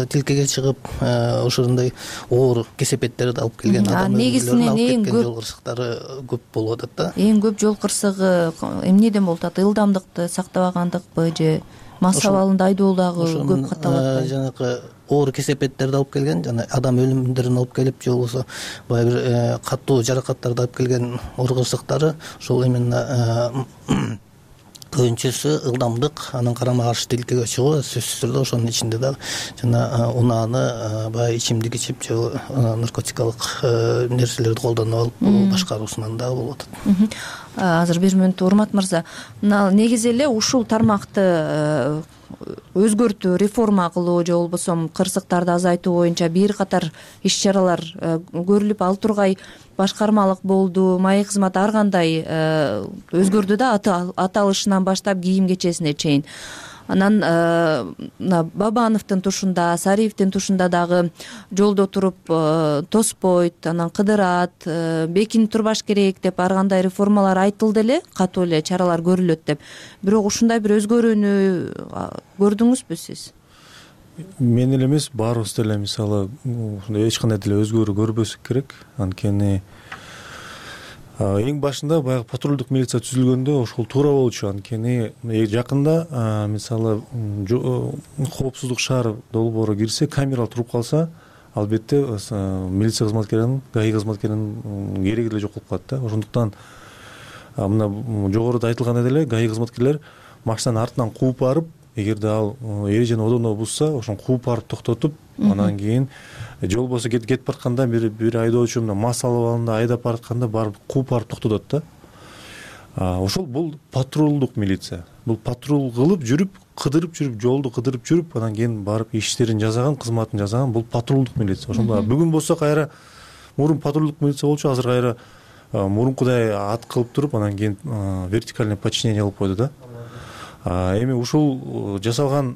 тилкеге чыгып ошондой оор кесепеттерди алып келген адам негизинен эң көп жол кырсыктары көп болуп атат да. Эң көп жол кырсыгы эмнеден болуп атат? Ылдамдыкты сактабагандыкпы же масса абалында айдоодагы көп катталып атпайбы? Жанагы оор кесепеттерди алып келген, жана адам өлүмдөрүн алып келип, же болбосо баягы бир катуу жаракаттарды алып келген оор кырсыктары ошол именно көбүнчөсү ылдамдык, анан карама каршы тилкеге чыгуу, сөзсүз түрдө ошонун ичинде дагы жана унааны баягы ичимдик ичип же наркотикалык нерселерди колдонуп алып башкаруусунан дагы болуп атат. Азыр 1 мүнөт Урмат мырза, мына негизи эле ушул тармакты өзгөртүү, реформа кылуу же болбосо кырсыктарды азайтуу боюнча бир катар иш чаралар көрүлүп, ал тургай башкармалык болду, маек кызматы ар кандай өзгөрдү да, аталышынан баштап кийим кечесине чейин. Анан Бабановдун тушунда, Сариевдин тушунда дагы жолдо туруп тоспойт, анан кыдырат, бекинип турбаш керек деп ар кандай реформалар айтылды эле, катуу эле чаралар көрүлөт деп. Бирок ушундай бир өзгөрүүнү көрдүңүзбү сиз? Мен эле эмес, баарыбыз деле мисалы эч кандай деле өзгөрүү көрбөсүк керек. Анткени эң башында баягы патрулдук милиция түзүлгөндө ошол туура болчу. Анткени жакында мисалы коопсуздук шаар долбоору кирсе, камера туруп калса, албетте милиция кызматкеринин, ГАИ кызматкеринин кереги эле жок болуп калат да. Ошондуктан мына жогоруда айтылгандай эле ГАИ кызматкерлер машинанын артынан кууп барып, эгерде ал эрежени одондо бузса, ошону кууп барып токтотуп, анан кийин же болбосо кетип баратканда бир айдоочу мына мас алып алганда, айдап баратканда барып кууп барып токтотот да. Ошол бул патрулдук милиция. Бул патрул кылып жүрүп, кыдырып жүрүп, жолду кыдырып жүрүп, анан кийин барып иштерин жасаган, кызматын жасаган бул патрулдук милиция. Ошондо бүгүн болсо кайра мурун патрулдук милиция болчу, азыр кайра мурункудай ат кылып туруп, анан кийин вертикальный подчинение кылып койду да. Эми ушул жасалган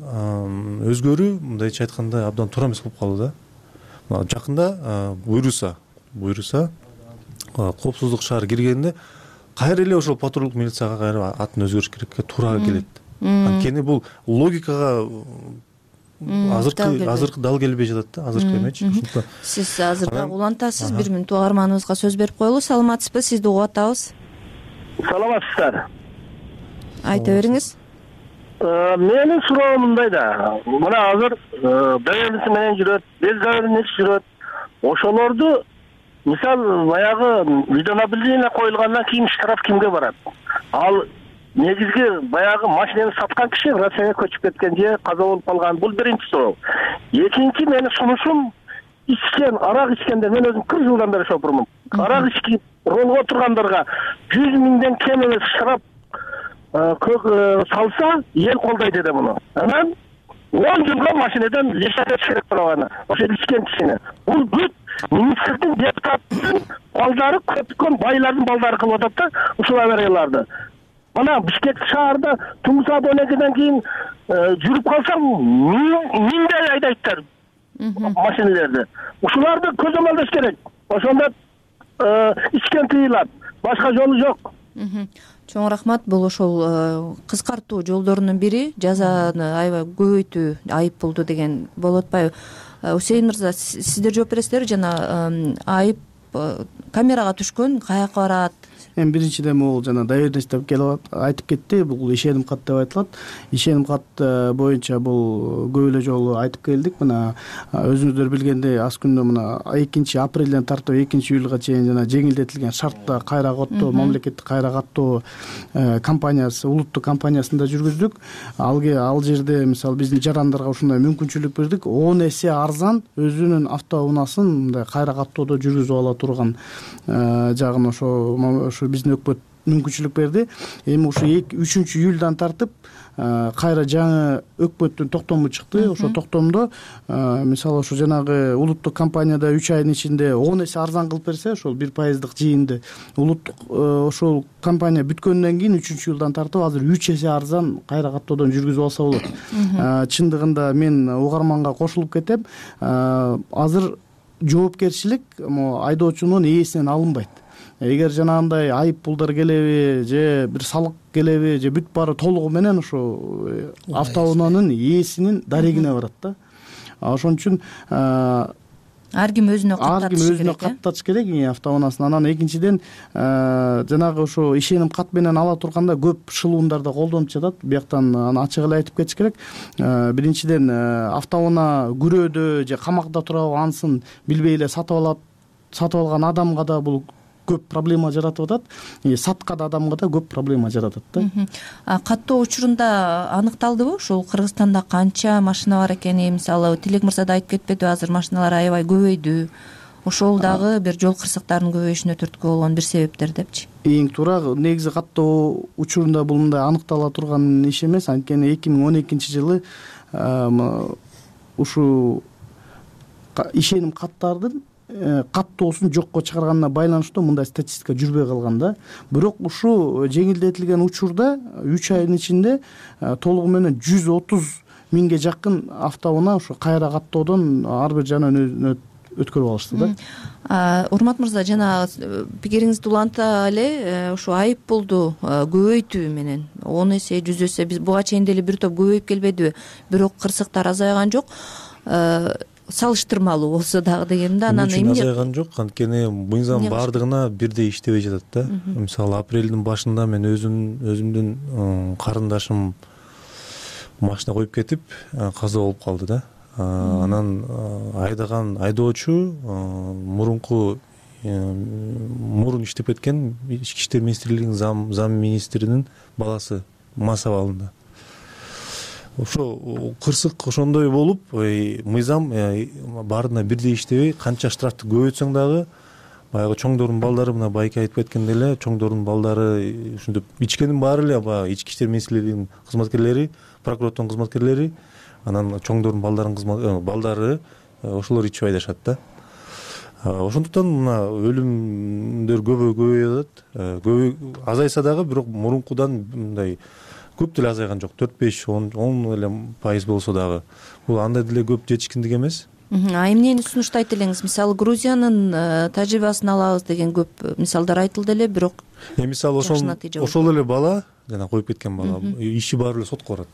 өзгөрүү мындайча айтканда абдан туура эмес болуп калды да. Жакында буйруса коопсуздук шаар киргенде кайра эле ошол патрулдук милицияга кайра атын өзгөрүш керекке туура келет. Анткени бул логикага азыркы дал келбей жатат да, азыркы эмечи. Сиз азыр дагы улантасыз, 1 мүнөт угарманыбызга сөз берип коелу. Саламатсызбы? Сизди угуп атабыз. Саламатсыздар. Айта бериңиз. Менин суроом мындай да. Мына азыр БМС менен жүрөт, безгабарниц жүрөт. Ошолорду мисал баягы видеонаблюдение коюлгандан кийин штраф кимге барат? Ал негизги баягы машинаны саткан киши Россияга көчүп кеткен же каза болуп калган. Бул биринчи суроо. Экинчи менин сунушум ичкен, арак ичкендер, мен өзүм 40 жылдан бери шопурмун. Арак ичип ролго отургандарга 100 миңден кем эмес шарап салса, эл колдойт эди муну. Анан 10 жылга машинеден лишатыш керек болуп аны. Ошо ичкен кишини. Бул бүт министрдин, депутаттын балдары, көптөгөн байлардын балдары кылып атат да ушул аварияларды. Мына Бишкек шаарда Туң саат 12ден кийин жүрүп калсаң, миңдей айдайттар машиналарды. Ушуларды көзөмөлдөш керек. Ошондо ичкен тыйылат. Башка жолу жок. Чоң рахмат. Бул ошол кыскартуу жолдорунун бири жазаны аябай көбөйтүү, айып болду деген болуп атпайбы? Усейин мырза, сиздер жооп бересиздерби? Жана айып камерага түшкөн, каяка барат? Эми биринчиден могул жана доверенность деп келип айтып кетти. Бул ишеним кат деп айтылат. Ишеним кат боюнча бул көп эле жолу айтып келдик. Мына өзүңүздөр билгендей, аз күндө мына 2-апрелден тартып 2-июлга чейин жана жеңилдетилген шартта кайра каттоо, мамлекеттик кайра каттоо компаниясы, улуттук компаниясында жүргүздүк. Ал жерде мисалы биздин жарандарга ушундай мүмкүнчүлүк бердик. 10 эсе арзан өзүнүн автоунаасын мындай кайра каттоодо жүргүзүп ала турган жагын ошо биздин өкмөт мүмкүнчүлүк берди. Эми ушу 3-июлдан тартып кайра жаңы өкмөттүн токтому чыкты. Ошо токтомдо мисалы ошо жанагы улуттук компанияда 3 айдын ичинде 10 эсе арзан кылып берсе, ошол 1% жыйынды улуттук ошол компания бүткөндөн кийин 3-июлдан тартып азыр 3 эсе арзан кайра каттоодон жүргүзүп алса болот. Чындыгында мен угарманга кошулуп кетем. Азыр жоопкерчилик айдоочунун ээсинен алынбайт. Эгер жанагындай айып пулдар келеби же бир салык келеби же бүт баары толугу менен ошо автоунаанын ээсинин дарегине барат да. Ошон үчүн ар ким өзүнө каттатыш керек автоунаасын. Анан экинчиден жанагы ошо ишеним кат менен ала турганда көп шылуундар да колдонуп жатат. Бияктан аны ачык эле айтып кетиш керек. Биринчиден автоунаа күрөөдө же камакта турабы ансын билбей эле сатып алган адамга да бул көп проблема жаратып атат. Саткан адамга да көп проблема жаратат да. Каттоо учурунда аныкталдыбы ушул Кыргызстанда канча машина бар экени? Мисалы Тилек мырза да айтып кетпеди, азыр машиналар аябай көбөйдү. Ошол дагы бир жол кырсыктарынын көбөйүшүнө түрткү болгон бир себептер депчи. Эң туура негизи каттоо учурунда бул мындай аныктала турган иш эмес. Анткени 2012-жылы ушул ишеним каттардын каттоосун жокко чыгарганына байланыштуу мындай статистика жүрбөй калган да. Бирок ушул жеңилдетилген учурда 3 айдын ичинде толугу менен 130 миңге жакын автоунаа ушу кайра каттоодон ар бир жанын өткөрүп алышты да. Урмат мырза, жана пикириңизди уланта эле ушу айып пулду көбөйтүү менен 10 эсе 100 эсе биз буга чейин деле бир топ көбөйүп келбедиби? Бирок кырсыктар азайган жок. Салыштырмалуу болсо дагы дегенде анан эмне азайган жок, анткени мыйзам баардыгына бирдей иштебей жатат да. Мисалы апрелдин башында мен өзүмдүн карындашым машина коюп кетип каза болуп калды да. Анан айдаган айдоочу мурун иштеп кеткен Ички иштер министрлигинин зам министринин баласы мас абалында. Ошо кырсык ошондой болуп, мыйзам баарына бирдей иштебей, канча штрафты көбөйтсөң дагы баягы чоңдордун балдары, мына байке айтып кеткендей эле, чоңдордун балдары ушинтип ичкенин баары эле баягы Ички иштер министрлигинин кызматкерлери, прокуратуранын кызматкерлери, анан чоңдордун балдары ошолор ичип айдашат да. Ошондуктан мына өлүмдөр көбөйүп атат. Азайса дагы, бирок мурункудан мындай көп деле азайган жок. 4-5-10 эле пайыз болсо дагы бул андай деле көп жетишкиндик эмес. Эмнени сунуштайт элеңиз? Мисалы Грузиянын тажрыйбасын алабыз деген көп мисалдар айтылды эле, бирок мисалы ошол эле бала, жана коюп кеткен бала, иши баары эле сотко барат.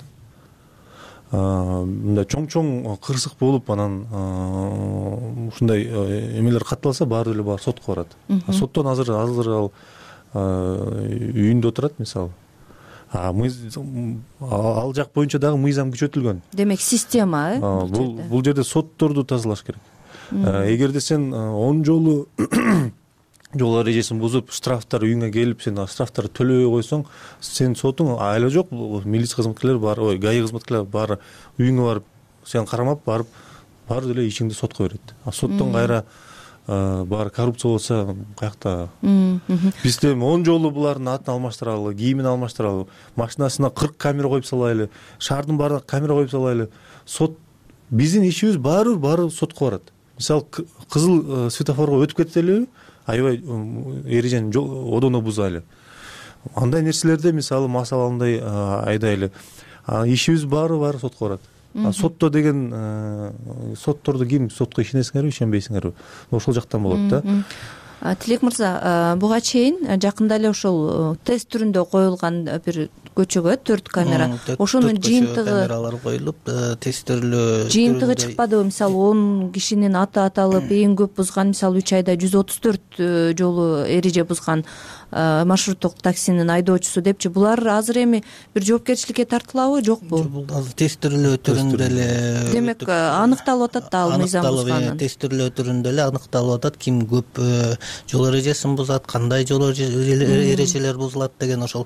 Мындай чоң кырсык болуп, анан ушундай эмелер катталса баары эле сотко барат. Соттон азыр ал үйүндө отурат мисалы. Ал жак боюнча дагы мыйзам күчөтүлгөн. Демек система бул жерде сотторду тазалаш керек. Эгерде сен 10 жолу жол эрежесин бузуп, штрафтар үйүңө келип, сен штрафтарды төлөбөй койсоң, сен сотуң айла жок, милиция кызматкерлери бар, ГАИ кызматкерлери бар, үйүңө барып, сен карамап барып баары деле ичиңди сотко берет. Соттон кайра баары коррупция болсо каякта? Бизде 10 жолу булардын атын алмаштыралы, кийимин алмаштыралы, машинасына 40 камера коюп салайлы, шаардын баарына камера коюп салайлы. Сот биздин ишибиз баары сотко барат. Мисалы кызыл светофорго өтүп кетелиби, аябай эрежени одоно бузайлы. Андай нерселерде мисалы масаландай айдайлы. Ишибиз баары сотко барат. Сотто деген сотторду ким сотко ишенесиңерби, ишенбейсиңерби? Ошол жактан болот да. Тилек мырза, буга чейин жакында эле ошол тест түрүндө коюлган бир көчөгө 4 камера, ошонун жыйынтыгы камералар коюлуп, тестирлөө жыйынтыгы чыкпадыбы? Мисалы 10 кишинин аты аталып, эң көп бузган, мисалы 3 айда 134 жолу эреже бузган маршруттук таксинин айдоочусу депчи. Булар азыр эми бир жоопкерчиликке тартылабы, жокпу? Бул азыр тестирлөө түрүндө эле, демек аныкталып атат да, ал мыйзам бузганын. Тестирлөө түрүндө эле аныкталып атат, ким көп жол эрежесин бузат, кандай жол эрежелер бузулат деген ошол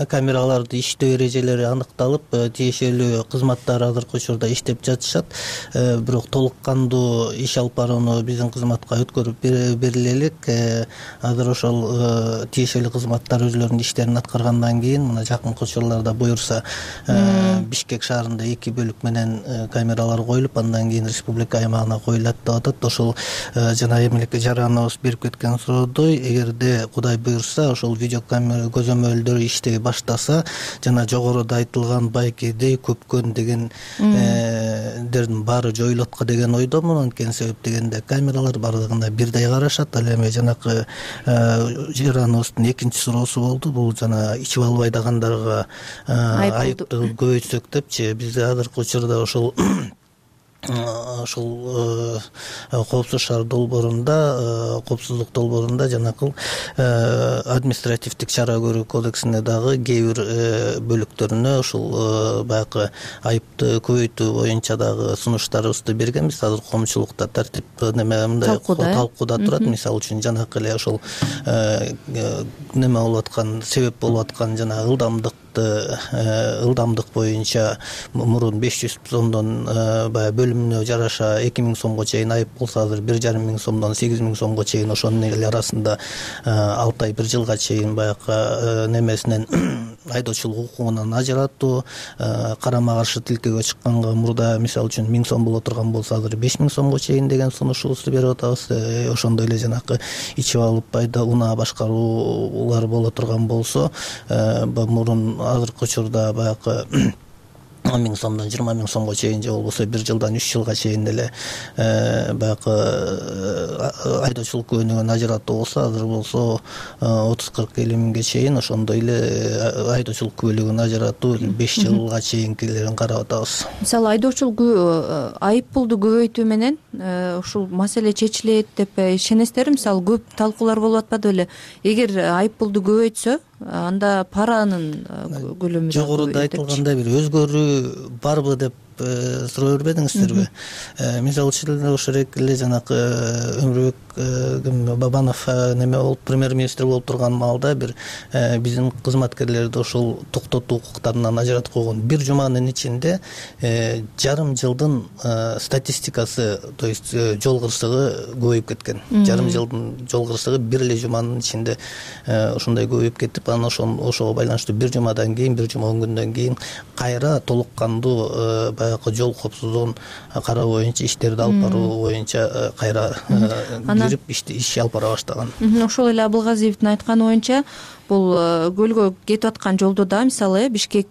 камераларды иштөө эрежелери аныкталып, тиешелүү кызматтар азыркы учурда иштеп жатышат. Бирок толук кандуу иш алып барууну биздин кызматка өткөрүп бериле элек. Азыр ошол тиешелүү кызматтар өзлөрүнүн иштерин аткаргандан кийин мына жакынкы учурларда буюрса Бишкек шаарында 2 бөлүк менен камералар коюлуп, андан кийин республика аймагына коюлат деп атат. Ошол жана эмелик жараныбыз берип кеткен суроодой, эгерде Кудай буюрса ошол видеокамера көзөмөлдөр иштей баштаса, жана жогоруда айтылган байкедей көпкөн дегендердин баары жоюлатка деген ойдомун. Анткени себеп дегенде камералар бардыгына бирдей карашат. Ал эми жанакы жараныбыздын экинчи суроосу болду. Бул жана ичип албай дагандарга айыпты көбөйтсөк депчи. Бизде азыркы учурда ошол коопсуз шаар долбоорунда, коопсуздук долбоорунда жанакыл административдик чара көрүү кодексине дагы кээ бир бөлүктөрүнө ушул баягы айыпты көбөйтүү боюнча дагы сунуштарыбызды бергенбиз. Азыр коомчулукта тартип мындай талкууда турат. Мисалы үчүн жанакы эле ошол неме болуп аткан, себеп болуп аткан жана ылдамдык боюнча мурун 500 сомдон баягы бөлүмүнө жараша 2000 сомго чейин айып болсо, азыр 1,5 миң сомдон 8000 сомго чейин, ошонун эл арасында 6 ай 1 жылга чейин баягы немесинен айдоочулук укугунан ажыратуу, карама каршы тилкеге чыкканга мурда мисалы үчүн 1000 сом боло турган болсо, азыр 5000 сомго чейин деген сунушубузду берип атабыз. Ошондой эле жанакы ичип алып унаа башкаруулар боло турган болсо, мурун азыркы учурда баягы 1000 сомдон 20 000 сомго чейин же болбосо 1 жылдан 3 жылга чейин эле баягы айдоочулук күбөнүгүн ажыратуу болсо, азыр болсо 30-40-50 миңге чейин ошондой эле айдоочулук күбөлүгүн ажыратуу 5 жылга чейинкилерин карап атабыз. Мисалы айдоочулук айып пулду көбөйтүү менен ушул маселе чечилет деп ишенесиздерби? Мисалы көп талкуулар болуп атпады беле? Эгер айып пулду көбөйтсө, анда паранын көлөмү жогоруда айтылгандай бир өзгөрүү барбы деп суроо бербедиңиздерби? Мисалы үчүн ошол эле жанакы Өмүрбек Бабанов неме болуп премьер-министр болуп турган маалда бир биздин кызматкерлерди ошол токтотуу укуктарынан ажыратып койгон. Бир жуманын ичинде жарым жылдын статистикасы, то есть жол кырсыгы көбөйүп кеткен. Жарым жылдын жол кырсыгы бир эле жуманын ичинде ошондой көбөйүп кетип, анан ошого байланыштуу бир жумадан кийин, бир жума 10 күндөн кийин кайра толук кандуу баягы жол коопсуздугун кароо боюнча иштерди алып баруу боюнча кайра кирип иш алып бара баштаган. Ошол эле Абылгазиевдин айтканы боюнча, бул көлгө кетип аткан жолдо да мисалы Бишкек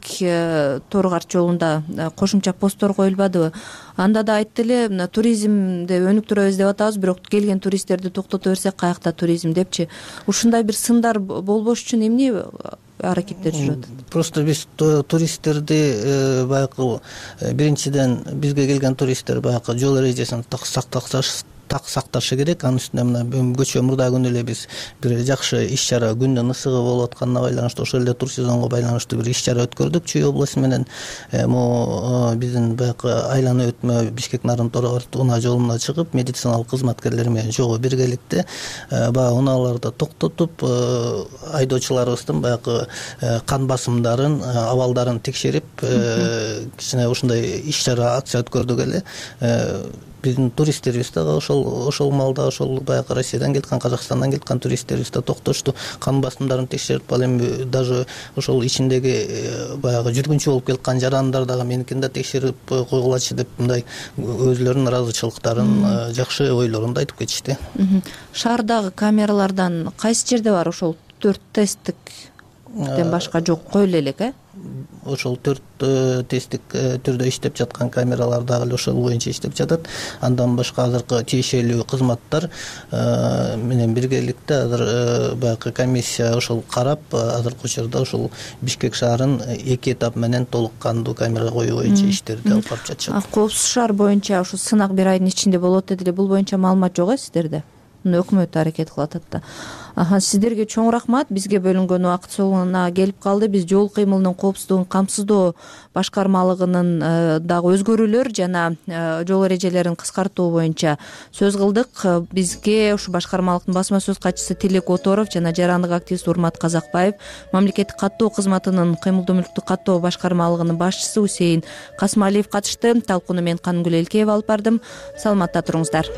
Торгарт жолунда кошумча посттор коюлбадыбы? Анда да айтты эле, туризмди өнүктүрөбүз деп атабыз, бирок келген туристтерди токтото берсек каякта туризм депчи. Ушундай бир сындар болбош үчүн эмне аракеттер жүрөт? Просто биз туристтерди баягы биринчиден бизге келген туристтер баягы жол эрежесин так сакташы керек. Анын үстүнө мына көчө мурда күнү эле биз бир жакшы иш чара, күндүн ысыгы болуп атканына байланыштуу ошол эле тур сезонго байланыштуу бир иш чара өткөрдүк Чүй областы менен. Биздин баягы айлана өтмө Бишкек Нарын Торгарт унаа жолуна чыгып, медициналык кызматкерлер менен чогуу биргеликте баягы унааларды токтотуп, айдоочуларыбыздын баягы кан басымдарын, абалдарын текшерип, кичине ушундай иш чара акция өткөрдүк эле. биздин туристтерибиз да ошол маалда ошол баягы Россиядан келаткан, Казакстандан келаткан туристтерибиз да токтошту, кан басымдарын текшерип, ал эми даже ошол ичиндеги баягы жүргүнчү болуп келаткан жарандар дагы меникин да текшерип койгулачы деп мындай өзүлөрүнүн ыраазычылыктарын, жакшы ойлорун да айтып кетишти. Шаардагы камералардан кайсы жерде бар ошол 4 тесттиктен башка жок коелу элек, Ошол 4 тесттик түрдө иштеп жаткан камералар дагы ошол боюнча иштеп жатат. Андан башка азыркы тиешелүү кызматтар менен биргеликте азыр баягы комиссия ошол карап, азыркы учурда ошол Бишкек шаарын 2 этап менен толук кандуу камера коюу боюнча иштерди алып барып жатышат. Коопсуз шаар боюнча ушу сынак 1 айдын ичинде болот дедиле. Бул боюнча маалымат жок сиздерде? Өкмөт аракет кылып атат да. Сиздерге чоң рахмат. Бизге бөлүнгөн убакыт соңуна келип калды. Биз жол кыймылынын коопсуздугун камсыздоо башкармалыгынын дагы өзгөрүүлөр жана жол эрежелерин кыскартуу боюнча сөз кылдык. Бизге ушу башкармалыктын басма сөз катчысы Тилек Оторов жана жарандык активист Урмат Казакбаев, мамлекеттик каттоо кызматынын кыймылдуу мүлктү каттоо башкармалыгынын башчысы Усейин Касмалиев катышты. Талкууну мен Канымгүл Элкеева алып бардым. Саламатта туруңуздар.